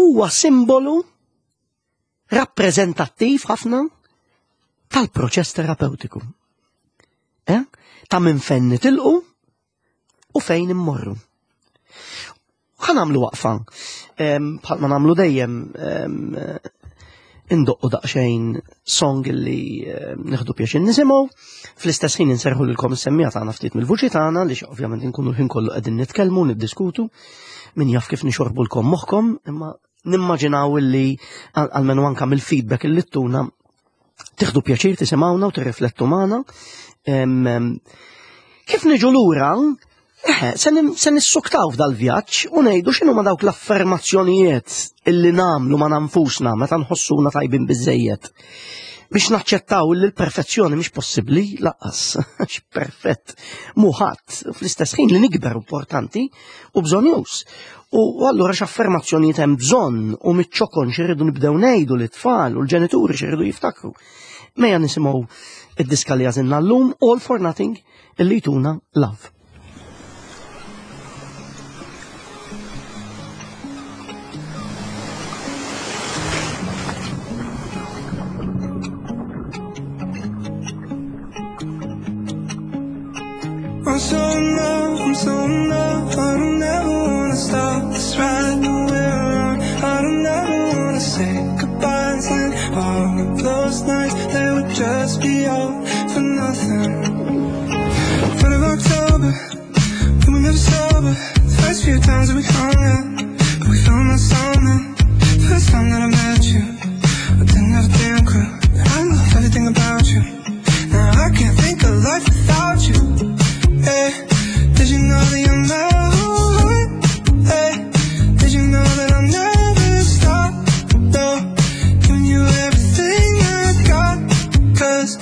huwa simbolu rappreżentattiv ħafna tal-proċess terapeutiku. Ta' minn fejn nitilqu u fejn immorru. Ħa nagħmlu waqfa, bħalma nagħmlu dejjem, indoqqu daqsxejn song li nieħdu pjaċir nisimgħu, fl-istess ħin inserħu lilkom is-semmija tagħna ftit mill-vuċi tagħna li ovvjament inkunu l-ħin kollu qegħdin nitkellmu, niddiskutu, min jaf kif nixorbulkom moħħkom, imma nimmaġinaw li għalmenu anka mill-feedback li ttuna tieħdu pjaċir tisimgħuna u tirriflettu magħna. Kif niġu lura, se nissuktaw f'dal-vjaġġ u ngħidu x'inhuma dawk l-affermazzjonijiet illi nagħmlu ma' nfusna meta nħossuna tajbin biżejjed. Biex naċċettaw li l-perfezzjoni mhix possibbli lanqas, għax perfett mhu ħadd, fl-istess ħin li nikber importanti u bżonjuż. U allura x'affermazzjonijiet hemm bżonn u miċ-ċokon x'irridu nibdew ngħidu lit-tfal u l-ġenituri x'irridu jiftakru. Mejja nisimgħu id-diska li għażilna llum, All for Nothing, illi jtuna Love. I'm so in love, I'm so in love, I don't ever wanna stop this ride that we're on. I don't ever wanna say goodbye and all of those nights, they would just be all for nothing. 3rd of October, we were never sober. The first few times that we hung out, but we found that something. First time that I met you, I didn't have a damn clue, but I love everything about you. Now I can't think of life without you. Hey, did you know that you're my heart? Hey, did you know that I'll never stop? No, giving you everything I got, because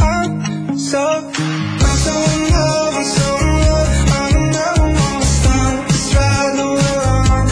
I'm so in love, I'm so in love. I don't ever wanna stop this ride that we're on.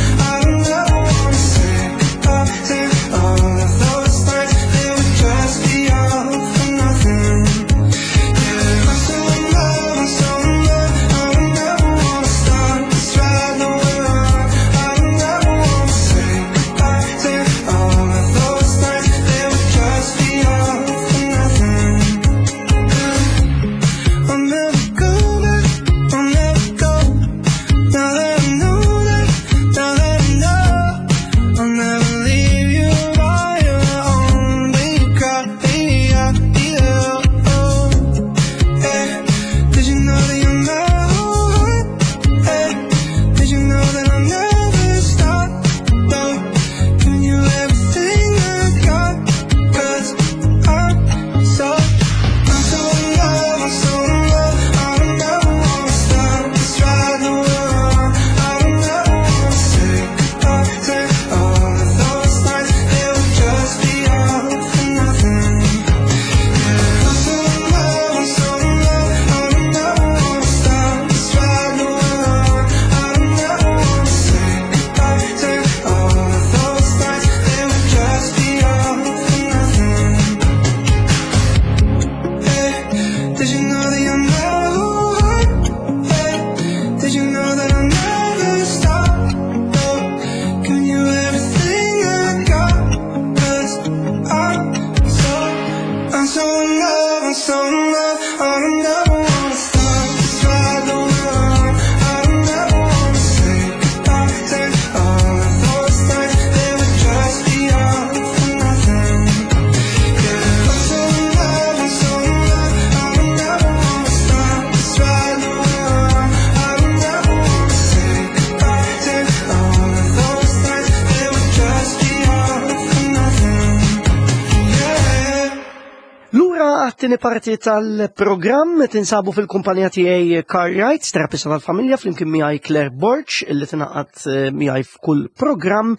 għat-tieni parti tal-programm tinsabu fil-kumpanija tiegħi Car Rights, terapista tal-familja flimkien miegħi Claire Borg illi tingħaqad eh, miegħi f'kull programm.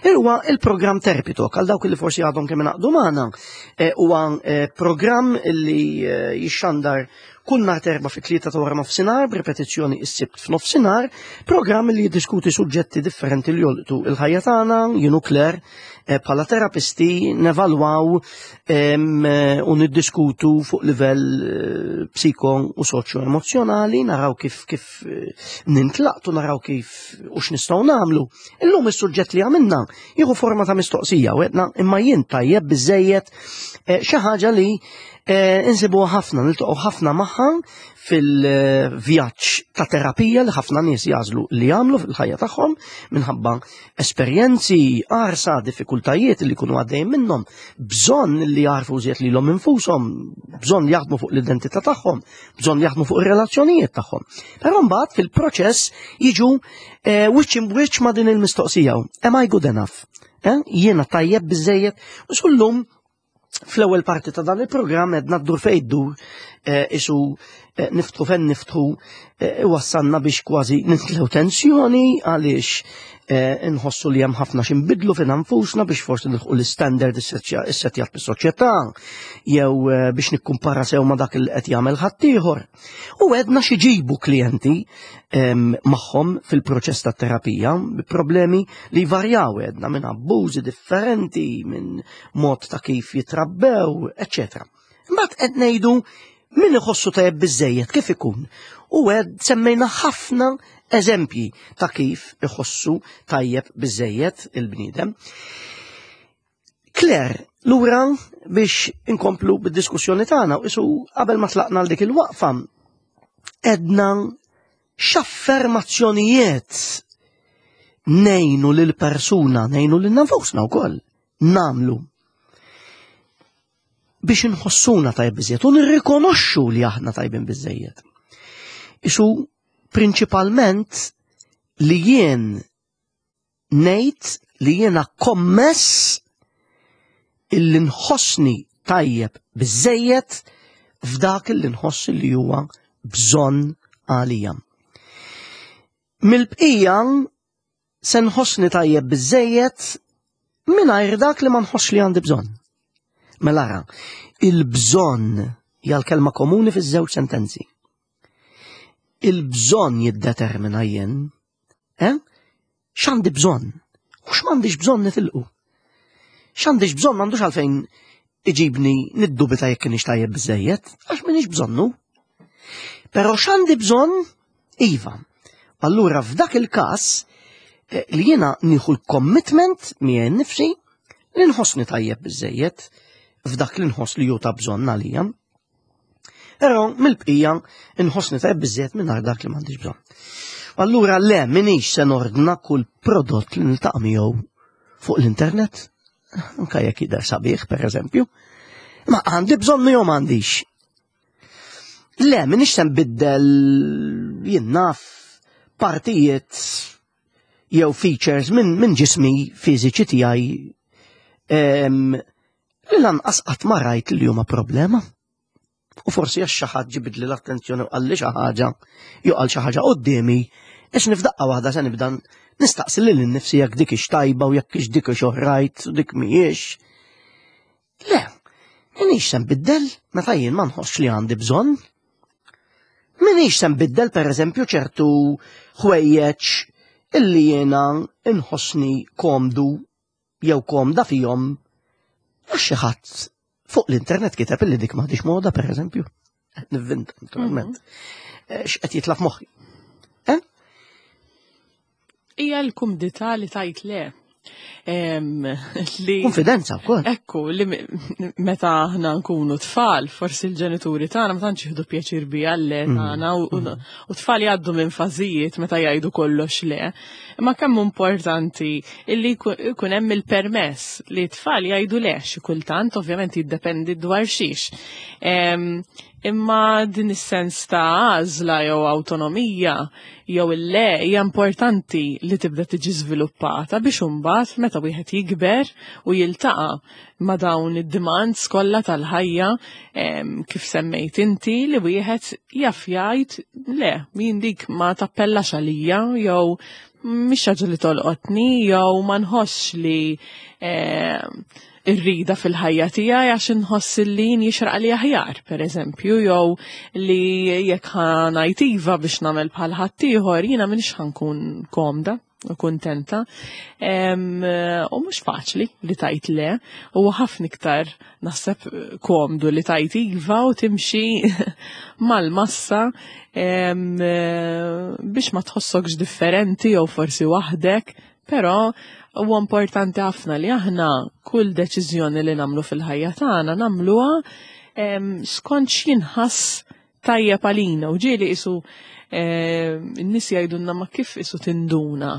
Huwa il-programm Therapy Talk għal dawk li forsi għadhom kemm ingħaqdu magħna. Eh, huwa eh, programm illi jixxandar kull nhar terba fit-tlieta ta' wara nofsinhar b'ripetizzjoni s-sibt f'nofsinhar, programm li jiddiskuti suġġetti differenti li jolqtu il-ħajja tagħna, jien u Claire eh, bħala terapisti nevalwaw eh, u niddiskutu fuq livell eh, psiko u soċjo emozjonali, naraw kif kif nintlaqtu, naraw kif u x'nistgħu nagħmlu. Illum is-suġġett li għamilna jieħu forma ta' mistoqsija u għedna imma jien tajjeb biżejjed xi ħaġa li Eh, insibu ħafna, niltaqgħu ħafna magħha fil-vjaġġ ta' terapija li ħafna nies jażlu li jagħmlu fil-ħajja tagħhom minħabba esperjenzi, qarsa, diffikultajiet li jkunu għaddejjin minnhom, bżonn li jarfu żied lilhom infushom, bżonn li jaħdmu fuq l-identità tagħhom, bżonn li jaħdmu fuq ir-relazzjonijiet tagħhom. Però mbagħad fil-proċess jiġu eh, wiċċ imbwiċċ ma' din il-mistoqsija. Am I good enough? Eh, jiena tajjeb biżejjed u sullum Fl-ewwel parti ta' dan il-programm edna ddur fejn ddur eh, isu eh, niftħu fejn niftħu eh, wassanna biex kważi nitlew tensjoni għaliex nħossu li hemm ħafna x'inbidlu fina nfusna biex forsi nilħqu l-istandard issettjat bis-soċjetà jew biex nikkumpara sew ma' dak li qed jagħmel ħaddieħor. U għedna xiġibu klijenti magħhom fil-proċess ta' terapija, problemi li varjaw għedna minn abbużi differenti, minn mod ta' kif jitrabbew, eccetera. Imbagħad qed ngħidu min iħossu tajjeb biżejjed kif ikun. U għed semmejna ħafna eżempji ta' kif iħossu tajjeb biżejjed il-bniedem. Claire, lura biex inkomplu bid-diskussjoni tagħna u isu qabel ma tlaqna għal dik il-waqfa edna x'affermazzjonijiet nejnu lil persuna, nejnu lil nafusna wkoll namlu biex inħossuna tajb biżejjed u nirrikonoxxu li aħna tajbin biżejjed. Isu prinċipalment li jien ngħid li jiena kommess illi nħossni tajjeb biżejjed f'dak illi nħoss li huwa bżonn għalija. Mill-bqija se nħossni tajjeb biżejjed mingħajr dak li ma nħoss li għandi bżonn. Mela ara, il-bżonn hija l-kelma komuni fiż-żewġ sentenzi. Il-bżonn jiddetermina jien Eh? X'għandi bżonn? U x'm'għandix bżonn nitilqu? X'għandix bżonn m'għandux għalfejn iġibni niddubita jekk kienx tajjeb biżejjed, għax m'iniex bżonnu. Però x'għandi bżonn? Iva. Allura f'dak il-każ eh, li jiena nieħu l-commitment miegħi nnifsi li nħossni tajjeb biżejjed f'dak li nħoss li hu ta' bżonn għalija. Però mill-bqija inħossni tajjeb biżżejjed mingħajr dak li m'għandix bżonn. Allura le minix se nordna kull prodott li niltaqa' miegħu fuq l-internet, anka jekk jidher sabiħ pereżempju. Ma għandi bżonn jew m'għandix. Le, minix se nbiddel jien naf partijiet jew features minn min ġismi fiżiċi tiegħi li lanqas qatt ma rajt li huma problema. U forsi għax xi ħadd ġibidli l-attenzjoni u qalli xi ħaġa, jew qal xi ħaġa quddiemi, ix nifdaqqa waħda se nibda nistaqsi lil innifsi jekk dik ix tajba u jekk ix dik ix oħrajt u dik mhijiex. Le, minix se nbiddel meta jien ma nħossx li għandi bżonn. Minix se nbiddel pereżempju ċertu ħwejjeġ illi jiena nħossni komdu jew komda fihom għax xi ħadd fuq l-internet kiteb illi dik m'għadix moda pereżempju. Nivvinta naturalment. Mhm. Eh, x'qed jitla' f'moħħi. Eh? Hija l-kumdità li tajt le. Li Konfidenza wkoll. Ekku, li meta aħna nkunu tfal, forsi l-ġenituri tagħna ma tantx jieħdu pjaċir bija le mm. tagħna mm. u tfal jgħaddu minn fażijiet meta jgħidu kollox le. Imma kemm importanti illi jkun hemm il-permess li t-tfal jgħidu le xi kultant, ovvjament jiddependi dwar xiex. Imma din is-sens ta' għażla jew awtonomija jew il-le hija importanti li tibda tiġi żviluppata biex imbagħad meta wieħed jikber u jiltaqa' ma' dawn id-demands kollha tal-ħajja, kif semmejt inti, li wieħed jaf jgħid le, jien dik ma tappellax għalija jew mhix ħaġa li tolqotni jew ma nħossx li irrida fil-ħajja tiegħi għax inħoss li jien jixraq li aħjar, pereżempju, jew li jekk ħa ngħid iva biex nagħmel bħal ħaddieħor, jiena m'iniex ħa nkun komda u kuntenta. U mhux faċli li tajt le, u ħafna iktar naħseb komdu li tajt iva u timxi mal-massa biex ma tħossokx differenti jew forsi waħdek, però huwa importanti ħafna li aħna kull deċiżjoni li nagħmlu fil-ħajja tagħna nagħmluha skont x'jinħass tajjeb għalina. U ġieli isu n-nies jgħidulna ma kif isu tinduna.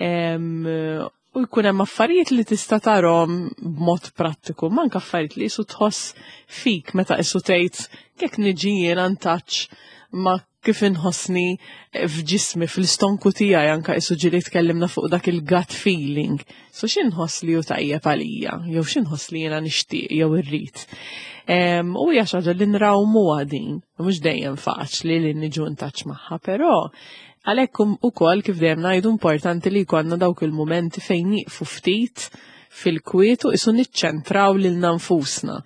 U jkun hemm affarijiet li tista' tarhom b'mod prattiku, ma anke affarijiet li isu tħoss fik meta isu tgħid jekk niġi jiena ntaċ ma kif inħossni f'ġismi, fl-istonku tiegħi, anke isu ġieli tkellimna fuq dak il-gut feeling. So x'inħoss li hu tajjeb għalija, jew x'inħoss li jiena nixtieq jew irrid. U hija xi ħaġa li nrawmuha din, mhux dejjem faċli li niġu ntaċ magħha, però għalhekk ukoll kif dejjem ngħidu importanti li jkollna dawk il-mumenti fejn nieqfu ftit fil-kwiet u isu niċċentraw lilna nfusna.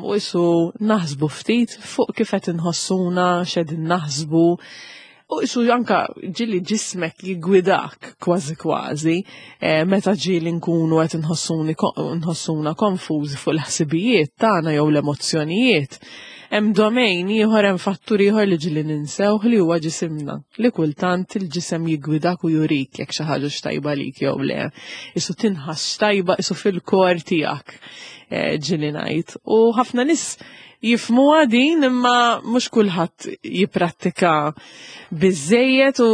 U isu naħsbu ftit fuq kif qed inħossuna, x'qegħdin naħsbu. U isu anka ġieli ġismek jigwidak kważi kważi, meta ġieli nkunu qed nħossuna konfużi fuq l-ħsibijiet tagħna jew l-emozzjonijiet. Hemm domain ieħor, hemm fattur ieħor li ġieli ninsewh li huwa ġisimna, li kultant il-ġisem jigwidak u jurik jekk xi ħaġa x'tajba lik jew le. Isu tinħass x'tajba isu fil-kor tiegħek, ġieli ngħid. U ħafna nies jifhmuha din imma mhux kulħadd jipprattika biżejjed u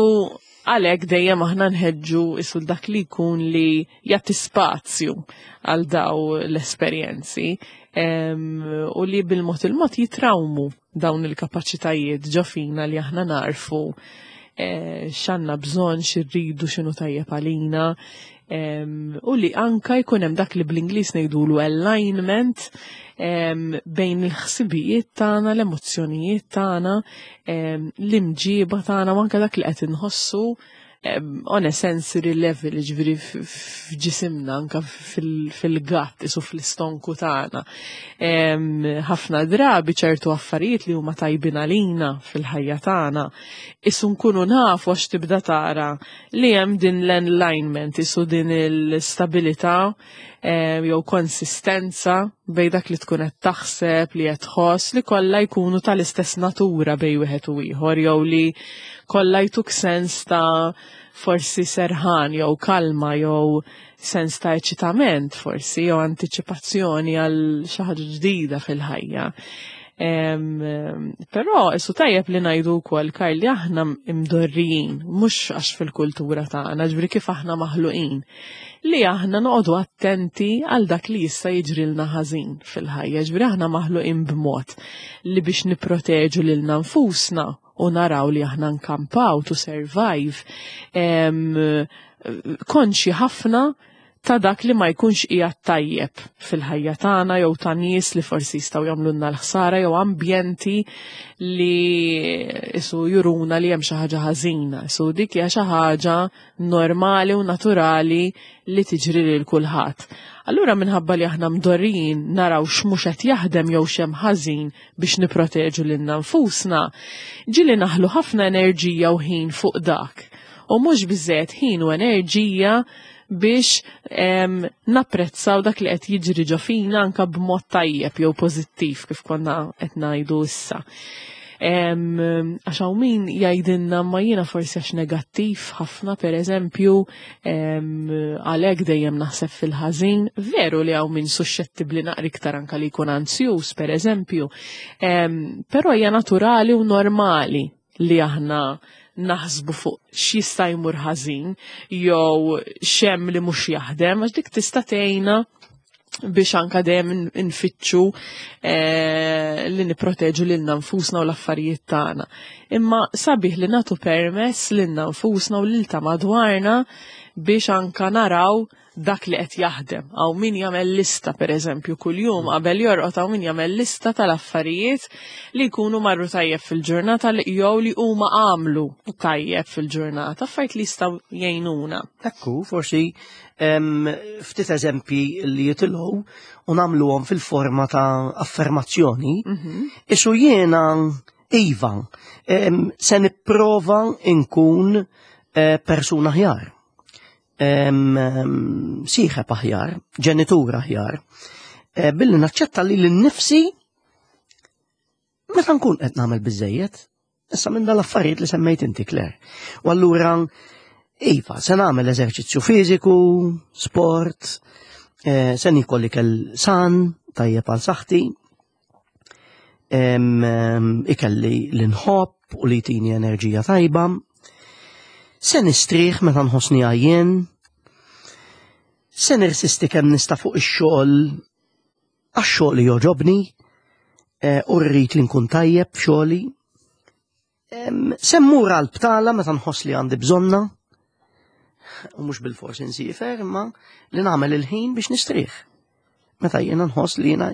għalhekk dejjem aħna nħeġġu isu dak li jkun li jagħti spazju għal daw l-esperjenzi, u li bil-mod il-mod jitrawmu dawn il-kapaċitajiet ġo fina li aħna narfu x'għandna bżonn, x'irridu, x'inhu tajjeb għalina, u li anka jkun hemm dak li bl-Ingliż ngħidulu alignment bejn il-ħsibijiet tagħna, l-emozzjonijiet tagħna, l-imġiba tagħna u anka dak li qed inħossu on a sensory level, ġifieri f'ġisimna, anka fil-gut, isu fl-istonku tagħna. Ħafna drabi ċertu affarijiet li huma tajbin għalina fil-ħajja tagħna, isu nkunu nafu għax tibda tara li hemm din l-alignment, isu din il-stabilità jew konsistenza bej dak li tkun qed taħseb, li qed tħoss, li kollha jkunu tal-istess natura bej wieħed u ieħor, jew li kollha jtuk sens ta' forsi serħan jew kalma jew sens ta' eċitament forsi jew antiċipazzjoni għal xi ħaġa ġdida fil-ħajja. Però isu tajjeb li ngħidu wkoll, Karl, li aħna imdorrijin, mhux għax fil-kultura tagħna, ġifieri kif aħna maħluqin, li aħna noqogħdu attenti għal dak li jista' jiġrilna ħażin fil-ħajja, ġifieri aħna maħluqin b'mod li biex nipproteġu lilna nfusna u naraw li aħna nkampaw to survive, konxi ħafna ta' dak li ma jkunx qiegħed tajjeb fil-ħajja tagħna jew ta' nies li forsi jistgħu jagħmlulna l-ħsara jew ambjenti li isu juruna li hemm xi ħaġa ħażina. Isu dik hija xi ħaġa normali u naturali li tiġri lil kulħadd. Allura minħabba li aħna mdorrijin naraw x'mhux qed jaħdem jew x'hemm ħażin biex nipproteġu lilna nfusna, ġieli naħlu ħafna enerġija u ħin fuq dak. U mhux biżżejjed ħin u enerġija biex napprezzaw dak li qed jiġri ġo fina anka b'mod tajjeb jew pożittiv kif konna qed ngħidu issa. Għax hawn min jgħidilna ma jiena forsi għax negattiv ħafna, per eżempju, għalhekk dejjem naħseb fil-ħażin, veru li hawn min suxxettibbli naqra iktar anka li jkun anzjuż, per eżempju, però hija naturali u normali li aħna naħsbu fuq x'jista' jmur ħażin jew x'hemm li mhux jaħdem, għax dik tista' tgħinna Biex anka dejjem infittxu eh, li nipproteġu lilna nfusna u l-affarijiet tagħna. Imma sabiħ li nagħtu permess lilna nfusna u lil ta' madwarna biex anka naraw dak li qed jaħdem. Hawn min jagħmel lista pereżempju kuljum qabel jorqod hawn min jagħmel lista tal-affarijiet li jkunu marru tajjeb fil-ġurnata li jew li huma għamlu tajjeb fil-ġurnata, affarijiet li jistgħu jgħinuna. Ekku, forsi ftit eżempji li jitilgħu u nagħmluhom fil-forma ta' affermazzjoni. Mhm. Isu jiena iva, se nipprova nkun eh, persuna aħjar. Sieħeb aħjar, ġenitur aħjar, eh, billi naċċetta li l-nifsi meta nkun qed nagħmel biżejjed, Issa minn dal-affarijiet li semmejt inti, Claire. U allura, iva, se nagħmel eżerċizzju fiżiku, sport, eh, se nikol ikel san, tajjeb għal saħħti, ikelli l-inħobb u li jtini enerġija tajba. Se nistrieħ meta nħossni għajjen, se nirsisti kemm nista' fuq ix-xogħol għax xogħli jogħġobni eh, u rrid li nkun tajjeb f'xogħli. Se mmur għal btala meta nħoss li għandi bżonna, u mhux bil-fors insifer, imma li nagħmel il-ħin biex nistrieħ. Meta jiena nħoss li jiena.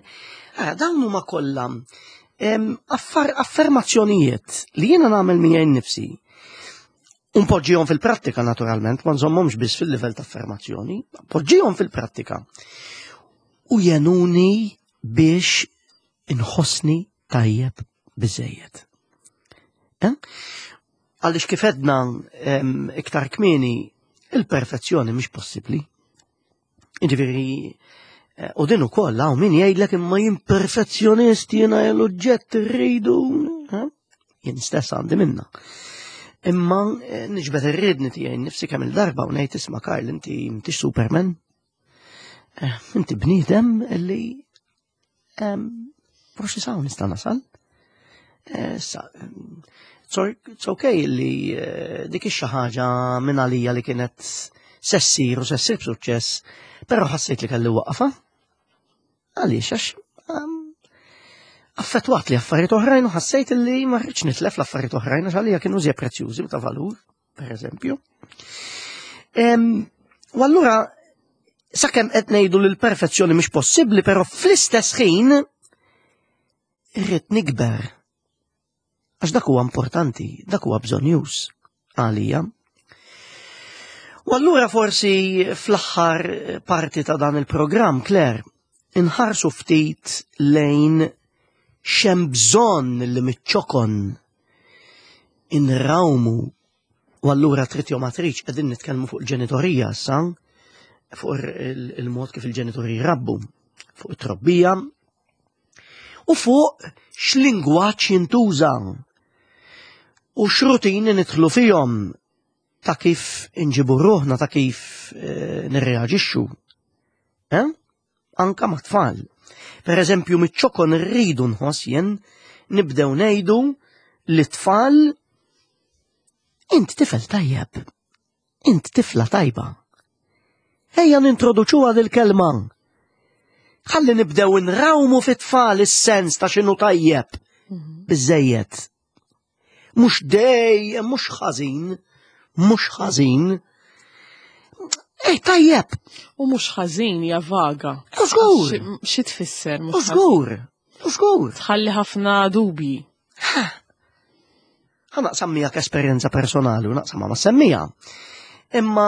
Ara, dawn huma kollha affermazzjonijiet li jiena nagħmel miegħi nnifsi. Unpoġġihom fil-prattika naturalment, ma nżommhomx biss fil-livell ta' affermazzjoni, poġġihom fil-prattika. U jenuni biex inħossni tajjeb biżejjed. Eh? Għaliex kif edna iktar kmieni, il-perfezzjoni mhix possibbli. Ġifieri, eh, u din ukoll hawn min jgħidlek imma jien perfezzjonist jiena l-oġġett irridu. Eh? Jien stess għandi minna. Imma eh, niġbed ir-riedni tiegħi nifsi kemm il-darba u ngħid isma' Karl inti m'intix Superman. Inti bniedem li Forsi saw nista' nasal. Eh, it's okay li eh, dik ix ħaġa minn għalija li kienet sessir u sessir b'suċċess, però ħassejt li kelli waqfa. Għaliex għax affettwat li affarijiet oħrajn u ħassejt li ma rridx nitlef l-affarijiet oħrajn għax għalija kienu żjed prezzjużi u ta' valur per eżempju. U allura sakemm qed ngħidu li l-perfezzjoni mhix possibbli, però fl-istess ħin irrid nikber. Għax dak huwa importanti, dak huwa bżonjuż għalija. U allura forsi fl-aħħar parti ta' dan il-programm, Claire, inħarsu ftit lejn xem bżonn li miċ-ċokon inrawmu u allura trid jew ma tridx qegħdin nitkellmu fuq il-ġenitorija issa, fuq il-mod kif il-ġenitori jrabbu, fuq it-trobbija u fuq x'lingwaġġ jintuża u x'rutini nidħlu fihom ta' kif inġibu ruħna, ta' kif eh, nirreaġixxu. Eh? Anka ma' tfal. Per eżempju, miċ-ċokon rridu nħoss jien nibdew ngħidu li tfal int tifel tajjeb, int tifla tajba. Ejja nintroduċuha dil-kelma. Ħalli nibdew nrawmu fit-tfal is-sens ta' x'inhu tajjeb. Mhm. Biżejjed. Mhux dejjem, mhux ħażin, mhux ħażin. Ej, tajjeb. U mhux ħażin hija vaga. Żgur. Xi tfisser mhux Żgur. Żgur. Tħalli ħafna dubji. Ħa naqsam miegħek esperjenza personali u naqsam ma' semmija. Imma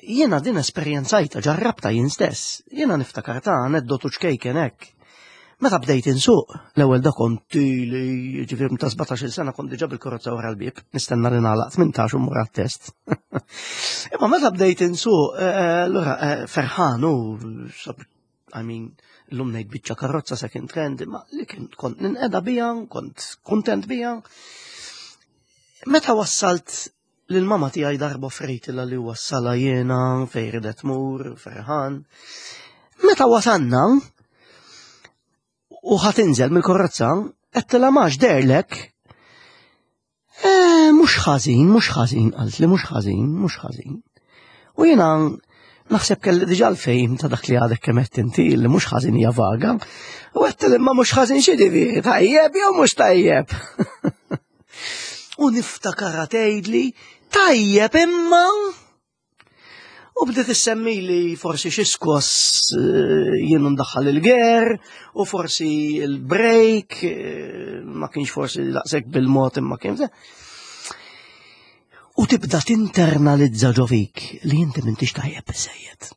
jiena din esperjenzajta ġarrabta jien stess. Jiena niftakar ta' aneddotu ċkejken hekk. Meta bdejt insuq, l-ewwel da kont ili ġifieri ta' 17-il sena kont diġà bil-karozza wara l-bieb, nistenna li nagħlaq 18 u mmur għat-test. Imma meta bdejt insuq, eh, eh, allura eh, ferħan u I mean, l-lum ngħid biċċa karozza second hand, imma li kien kont ninqeda bija, kont kuntent bija. Meta wassalt lil mama tiegħi darba frejtilha li wassala jiena fejn ridet tmur, ferħan. Meta wasanna u ħa tinżel mill-karozza, għedtilha max derlek. Eh, mhux ħażin, mhux ħażin, qalt li mhux ħażin, mhux ħażin. U jiena Naħseb kelli diġà l-fejm ta' dak li għadek kemm qed inti li mhux ħażin hija vaga. U għedt li ma mhux ħażin xi ġifieri, tajjeb jew mhux tajjeb. U niftakarha tgħidli tajjeb imma U bdiet issemmi li forsi xi skoss eh, jien ndaħħal il-ger u forsi il-break eh, ma kienx forsi daqshekk bil-mod imma kien. U tibda tinternalizza ġo fik li inti m'intix tajjeb biżejjed.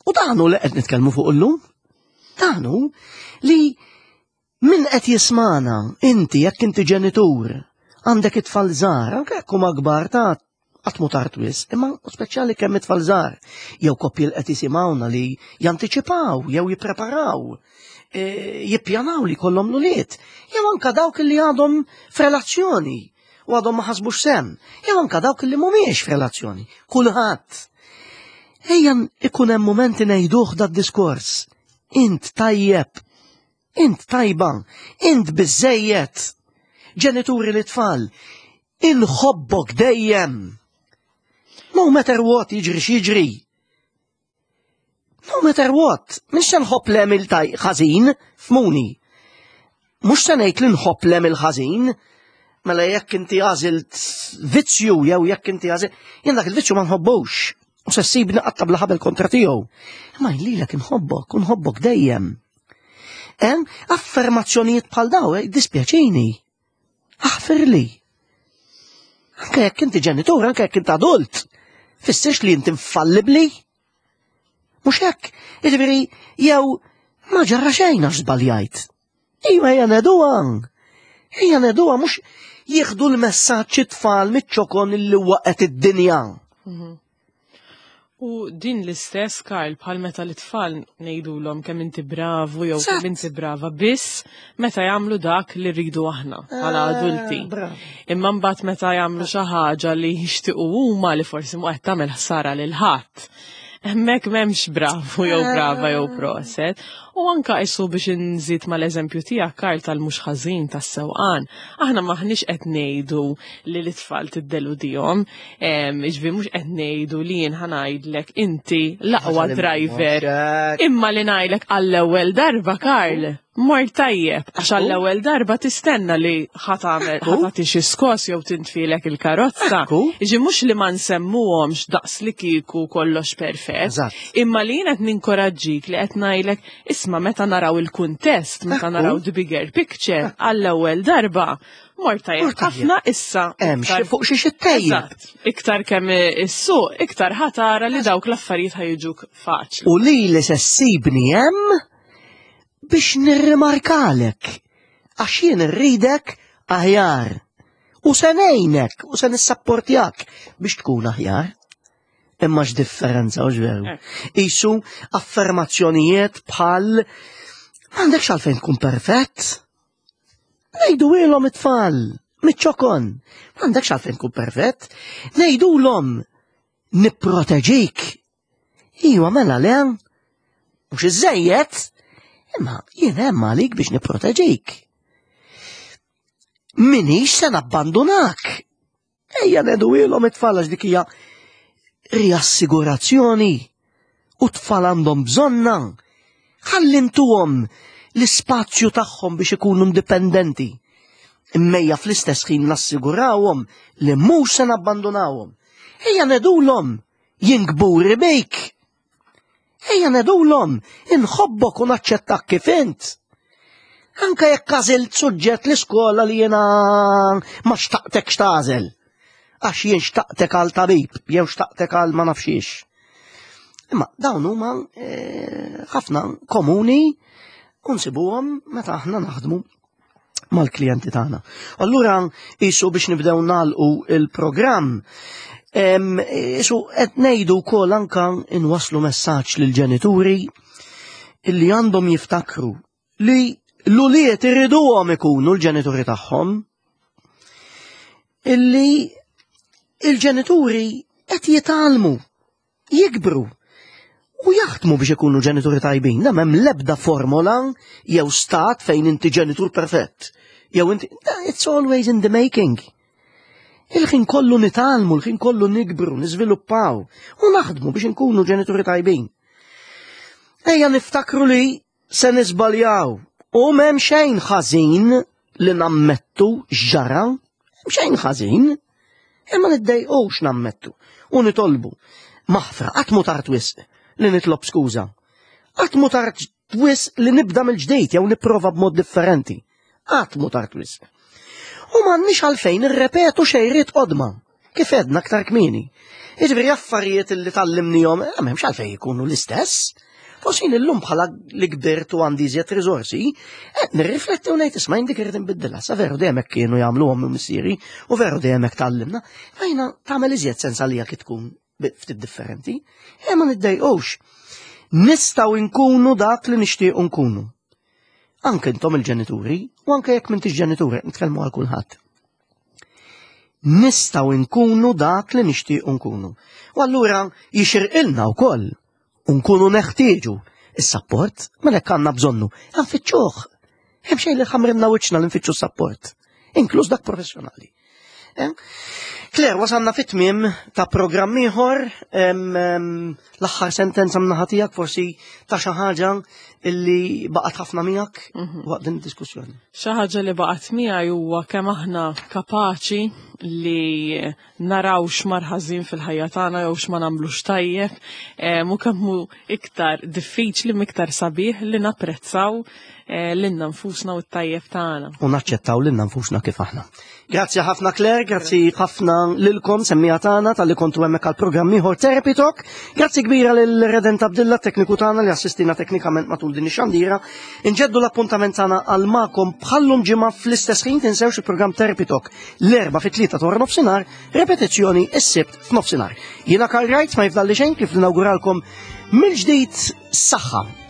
U dan hu li qed nitkellmu fuq illum. Dan hu li Min qed jismagħna, inti jekk inti ġenitur, għandek it-tfal żgħar, anke jekk huma kbar ta' qatt mhu tard wisq, imma speċjali kemm it-tfal żgħar, jew koppji li qed jisimgħuna li jantiċipaw jew jippreparaw, e, jippjanaw li jkollhom l-ulied, jew anke dawk li għadhom f'relazzjoni u għadhom ma ħasbux sem, jew anke dawk li mhumiex f'relazzjoni, kulħadd. Ejja ikun hemm mumenti ngħiduh dad-diskors. Int tajjeb, Int tajba, int biżżejjed. Ġenituri li tfal, inħobbok dejjem. No matter what jiġri x'jiġri. No matter what, mhux se nħobb l taj ħażin, fmuni. Mhux se ngħid li nħobb l ħażin, mela jekk inti għażilt vizzju jew jekk inti għażilt, jien dak il-vizzju ma nħobbux. U se ssibni qatta bla ħabel kontra tiegħu. Imma jien lilek inħobbok u nħobbok dejjem. Hemm affermazzjonijiet bħal daw, eh, dispjaċini. Aħfirli. Anke jekk inti ġenitur, anke jekk inti adult, fissirx li inti infallibli. Mhux hekk, jiġifieri jew ma ġara xejn għax żbaljajt. Iva hija neduha. Hija neduha mhux jieħdu l-messaġġ it-tfal miċ-ċokon li waqgħet id-dinja. U din l-istess, Karl, bħal meta l-tfal ngħidulhom kemm inti bravu jew kemm inti brava biss meta jagħmlu dak li rridu aħna bħala eh, adulti. Imma mbagħad meta jagħmlu xi ħaġa li jixtiequ huma li forsi mhu qed tagħmel ħsara lil ħadd. Hemmhekk m'hemmx bravu jew brava jew proset. U anka isu biex inżid mal-eżempju tiegħek Karl tal-mhux ħażin tas-sewqan. Aħna maħniex qed ngħidu li l-itfal tiddeludihom, jiġifieri mhux qed ngħidu li jien ħanajdlek inti l-aqwa driver. Imma li ngħidlek għall-ewwel darba Karl, mort tajjeb, għax għall-ewwel darba tistenna li ħa tagħmel ħa tagħti xi skos jew tintfilek il-karozza. Jiġi mhux li ma nsemmuhomx daqs li kieku kollox perfett, imma li jien qed ninkoraġġik li qed ngħidlek isma' meta naraw il-kuntest, meta naraw the bigger picture għall-ewwel darba, mort tajjeb ħafna issa. Hemm xi fuq xi xittejjeb. Iktar kemm issuq, iktar ħa tara li dawk l-affarijiet ħa jiġuk faċli. U lili se ssibni hemm biex nirrimarkalek, għax jien irridek aħjar. U se ngħinek u se nissapportjak biex tkun aħjar. Imma x'differenza u veru. Eh. Isu affermazzjonijiet bħal m'għandekx għalfejn tkun perfett. Ngħidu ilhom it-tfal, miċ-ċokon, m'għandekx għalfejn tkun perfett. Ngħidulhom nipproteġik Iwa mela le, mhux iżejjed, imma jien hemm għalik biex nipproteġik. Minix se nabbandunak. Ejja neduilhom it-tfal għax dik hija riassigurazzjoni u tfal għandhom bżonna. Ħallintuhom l-ispazju tagħhom biex ikunu indipendenti. Immejja fl-istess ħin nassigurawhom li mhux se nabbandunawhom. Ejja nedulhom Jien kburi bik. Ejja nedulhom, inħobbok u naċċettak kif int. Anka jekk għażilt suġġett l-iskola li jiena ma xtaqtekx tagħżel. Għax jien xtaqtek għal tabib, jew xtaqtek għal ma nafxiex. Imma dawn huma eh, ħafna komuni u nsibuhom meta aħna naħdmu mal-klijenti tagħna. Allura isu biex nibdew nagħlqu il-programm, isu qed ngħidu wkoll anka inwasslu messaġġ lill-ġenituri illi għandhom jiftakru li l-ulied iriduhom ikunu l-ġenituri tagħhom illi il-ġenituri qed jitgħallmu jikbru u jaħdmu biex ikunu ġenituri tajbin. Da m'hemm l-ebda formola jew stat fejn inti ġenitur perfett. Jew inti, it's always in the making. Il-ħin kollu nitgħallmu, il-ħin kollu nikbru, niżviluppaw u naħdmu biex inkunu ġenituri tajbin. Ejja niftakru li se niżbaljaw u m'hemm xejn ħażin li nammettu x'ġara, m'hemm xejn ħażin, imma niddejqux nammettu u nitolbu maħfra qatt mu tard wisq li nitlob skuża. Qatt mu tard wisq li nibda mill-ġdid jew nipprova b'mod differenti. Qatt mu tard wisq. U m'għandniex għalfejn irrepetu xejriet qodma, kif edna aktar kmieni. Jiġifieri affarijiet li tallimnihom, eh, m'hemmx għalfejn ikunu l-istess. Forsi illum bħala li kbirt u għandi iżjed riżorsi, eh, nirrifletti u ngħid isma' dik irid inbiddilha. Sa veru dejjem hekk kienu jagħmluhom minn missieri u veru dejjem hekk tallimna. Ma jiena tagħmel iżjed sens għalija kif tkun ftit differenti, e ma niddejqux. Nistgħu nkunu dak li nixtiequ nkunu. Anke intom il-ġenituri, u anke jekk m'intix ġenituri, nitkellmu għal kulħadd. Nistgħu nkunu dak li nixtiequ nkunu. U allura jixirqilna wkoll u nkunu neħtieġu is-sapport, mela hekk għandna bżonnu, nfittxuh. Hemm xejn li ħamrinna wiċċna li nfittxu sapport, inkluż dak professjonali. Eh? Claire, wasalna fit-tmiem ta' programm ieħor, l-aħħar sentenza mnaħa tiegħek forsi ta' xi ħaġa illi baqgħet ħafna miegħek mhm. waqt din id-diskussjoni. Xi ħaġa li baqgħet miegħi huwa kemm aħna kapaċi li naraw x'mar ħażin fil-ħajja tagħna jew x'ma nagħmlux tajjeb, u kemm hu iktar diffiċli miktar sabiħ li napprezzaw eh, lilna nfusna u t-tajjeb tagħna. U naċċettaw lilna nfusna kif aħna. Grazzi ħafna Claire, grazzi ħafna lilkom semmija tagħna tal-li kontu hemmhekk għall-programm ieħor Therapy Talk. Grazzi kbira lil Redent Abdilla tekniku tagħna li assistina teknikament matul din ix-xandira. Inġeddu l-appuntament tagħna għal magħkom bħallum ġimgħa fl-istess ħin tinsewx il-programm Therapy Talk l-erba fit-tlieta ta' nofsinhar, repetizzjoni s-sibt f'nofsinhar. Jiena Karl Wright ma jifdalli xejn kif nawguralkom mill-ġdid saħħa.